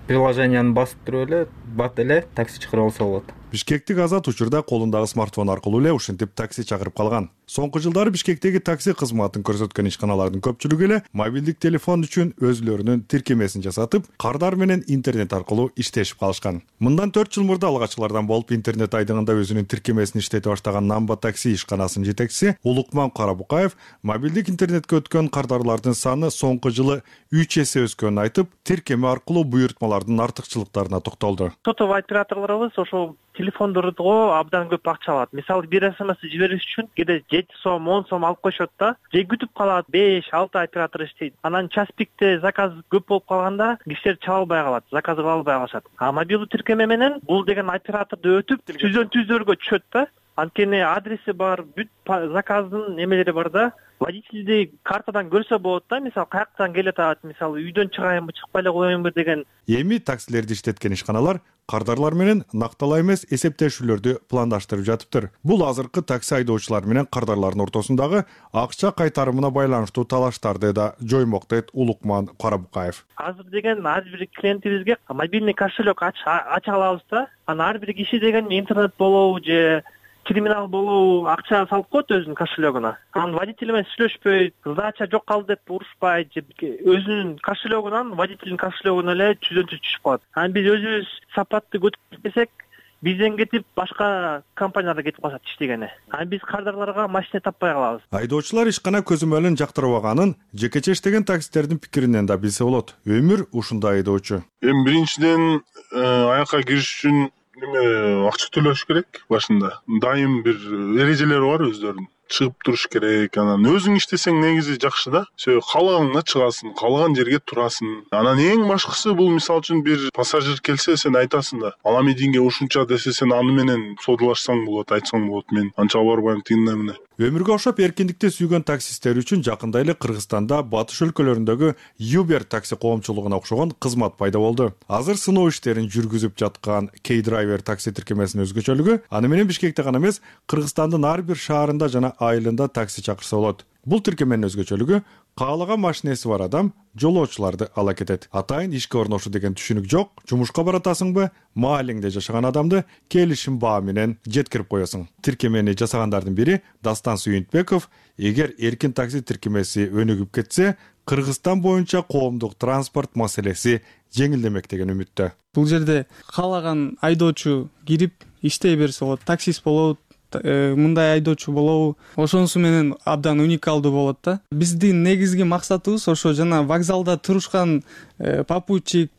приложенияны басып туруп эле бат эле такси чакырып алса болот. Бишкектик Азат учурда колундагы смартфон аркылуу эле ушинтип такси чакырып калган. Соңку жылдары Бишкектеги такси кызматын көрсөткөн ишканалардын көпчүлүгү эле мобилдик телефон үчүн өзүлөрүнүн тиркемесин жасатып, кардар менен интернет аркылуу иштешип калышкан. Мындан төрт жыл мурда алгачкылардан болуп интернет айдыгында өзүнүн тиркемесин иштете баштаган Намба такси ишканасынын жетекчиси Улукман Карабукаев мобилдик интернетке өткөн кардарлардын саны соңку жылы үч эсе өскөнүн айтып, тиркеме аркылуу буйртмалардын артыкчылыктарына токтолду. Сотовый операторлорубуз ошол телефондорго абдан көп акча алат. Мисалы бир смс жибериш үчүн кээде жети сом, он сом алып коюшат да. Же күтүп калат, беш, алты оператор иштейт. Анан час пикте заказ көп болуп калганда кишилер чаба албай калат, заказ кыла албай калышат. А мобилдик тиркеме менен бул деген операторду өтүп, түздөн түздөргө түшөт да. Анткени адреси бар, бүт заказдын эмелери бар да. Водительди картадан көрсө болот да, мисалы каяктан келет атат, мисалы үйдөн чыгайынбы, чыкпай эле коеюнбу деген. Эми таксилерди иштеткен ишканалар кардарлар менен нактала эмес эсептешүүлөрдү пландаштырып жатыптыр. Бул азыркы такси айдоочулар менен кардарлардын ортосундагы акча кайтарымына байланыштуу талаштарды да жоймок дейт Улукман Карабукаев. Азыр деген ар бир клиентибизге мобильный кошелек ача алабыз да. Анан ар бир киши деген интернет болобу же криминал болобу акча салып коет өзүнүн кошелегуна. Анан водитель менен сүйлөшпөйт, сдача жок калды деп урушпайт же өзүнүн кошелегунан водительдин кошелегуна эле түздөн түз түшүп калат. Анан биз өзүбүз сапатты көтүп кетсек, бизден кетип башка компанияларга кетип калышат иштегени. Анан биз кардарларга машина таппай калабыз. Айдоочулар ишкана көзөмөлүн жактырбаганын жекече иштеген таксистердин пикиринен да билсе болот. Өмүр ушундай айдоочу. Эми биринчиден аякка кириш үчүн неме акча төлөш керек башында. Дайым бир эрежелери бар өздөрүнүн. Чыгып туруш керек. Анан өзүң иштесең негизи жакшы да. Сөй каалаганыңа чыгасың, каалаган жерге турасың. Анан эң башкысы бул мисалы үчүн бир пассажир келсе, сен айтасың да. Ала мединге ушунча десе, сен аны менен содалашсаң болот, айтсаң болот. Мен анча барбайм тигине мене. Өмүргө окшоп эркиндикти сүйгөн таксисттер үчүн жакында эле Кыргызстанда батыш өлкөлөрүндөгү Uber такси коомчулугуна окшогон кызмат пайда болду. Азыр сыноо иштерин жүргүзүп жаткан K-Driver такси тиркемесинин өзгөчөлүгү аны менен Бишкекте гана эмес, Кыргызстандын ар бир шаарында жана айылында такси чакырса болот. Бул тиркеменин өзгөчөлүгү каалаган машинеси бар адам жолоочуларды ала кетет. Атайын ишке орношу деген түшүнүк жок. Жумушка баратасыңбы, маалиңде жашаган адамды келишим баа менен жеткирип коесуң. Тиркемени жасагандардын бири Дастан Сүйүнтбеков, эгер эркин такси тиркемеси өнүгүп кетсе, Кыргызстан боюнча коомдук транспорт маселеси жеңилдемек деген үмүттө. Бул жерде каалаган айдоочу кирип иштей берсе болот, таксист болобу, мындай айдоочу болобу, ошонусу менен абдан уникалдуу болот да. Биздин негизги максатыбыз ошо жана вокзалда турушкан попутчик,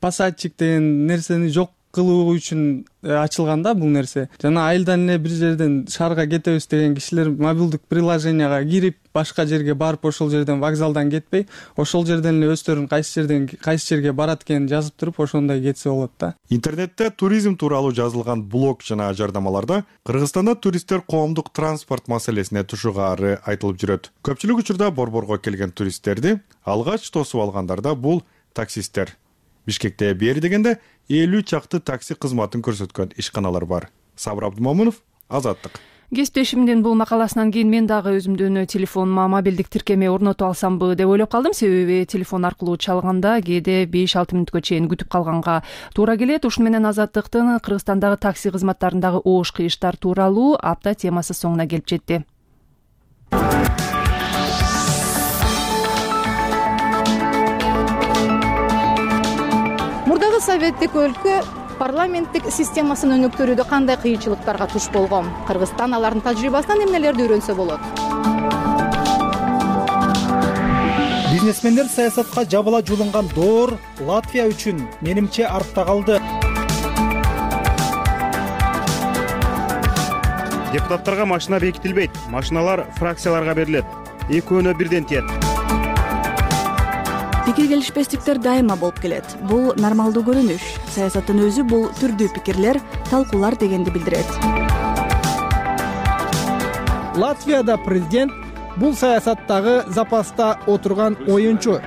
пассажирчик деген нерсени жок кылуу үчүн ачылган да бул нерсе. Жана айылдан эле бир жерден шаарга кетебиз деген кишилер мобилдик приложенияга кирип, башка жерге барып, ошол жерден вокзалдан кетпей, ошол жерден эле өздөрүн кайсы жерден кайсы жерге барат экенин жазып туруп, ошондой кетсе болот да. Интернетте туризм тууралуу жазылган блог жана жардамаларда Кыргызстанда туристтер коомдук транспорт маселесине тушугаары айтылып жүрөт. Көпчүлүк учурда борборго келген туристтерди алгач тосуп алгандар да бул таксисттер. Бишкекте бери дегенде элүү чакты такси кызматын көрсөткөн ишканалар бар. Сабыр Абдумомунов, Азаттык. Кесиптешимдин бул макаласынан кийин мен дагы өзүмдүн телефонума мобилдик тиркеме орнотуп алсамбы деп ойлоп калдым. Себеби телефон аркылуу чалганда кээде беш алты мүнөткө чейин күтүп калганга туура келет. Ушуну менен Азаттыктын Кыргызстандагы такси кызматтарындагы оош кыйыштар тууралуу апта темасы соңуна келип жетти. Мурдагы советтик өлкө парламенттик системасын өнүктүрүүдө кандай кыйынчылыктарга туш болгон? Кыргызстан алардын тажрыйбасынан эмнелерди үйрөнсө болот? Бизнесмендер саясатка жабыла жулунган доор Латвия үчүн менимче артта калды. Депутаттарга машина бекитилбейт, машиналар фракцияларга берилет. Экөөнө бирден тиет. Пикир келишпестиктер дайыма болуп келет. Бул нормалдуу көрүнүш. Саясаттын өзү бул түрдүү пикирлер, талкуулар дегенди билдирет. Латвияда президент бул саясаттагы запаста отурган оюнчу.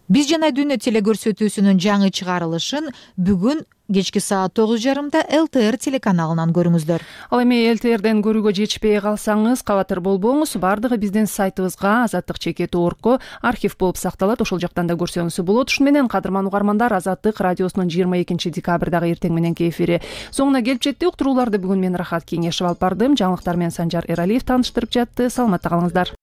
Биз жана дүнү телекөрсөтүүсүнүн жаңы чыгарылышын бүгүн кечки саат тогуз жарымда эл тэ эр телеканалынан көрүңүздөр. Ал эми эл тэ эрден көрүүгө жетишпей калсаңыз, кабатыр болбоңуз. Бардыгы биздин сайтыбызга азаттык чекит орг архив болуп сакталат. Ошол жактан да көрсөңүз болот. Ушун менен кадырман угармандар, Азаттык радиосунун жыйырма экинчи декабрдагы эртең мененки эфири соңуна келип жетти. Уктурууларды бүгүн мен Рахат Кеңешев алып бардым. Жаңылыктар менен Санжар Эралиев тааныштырып жатты. Саламатта калыңыздар.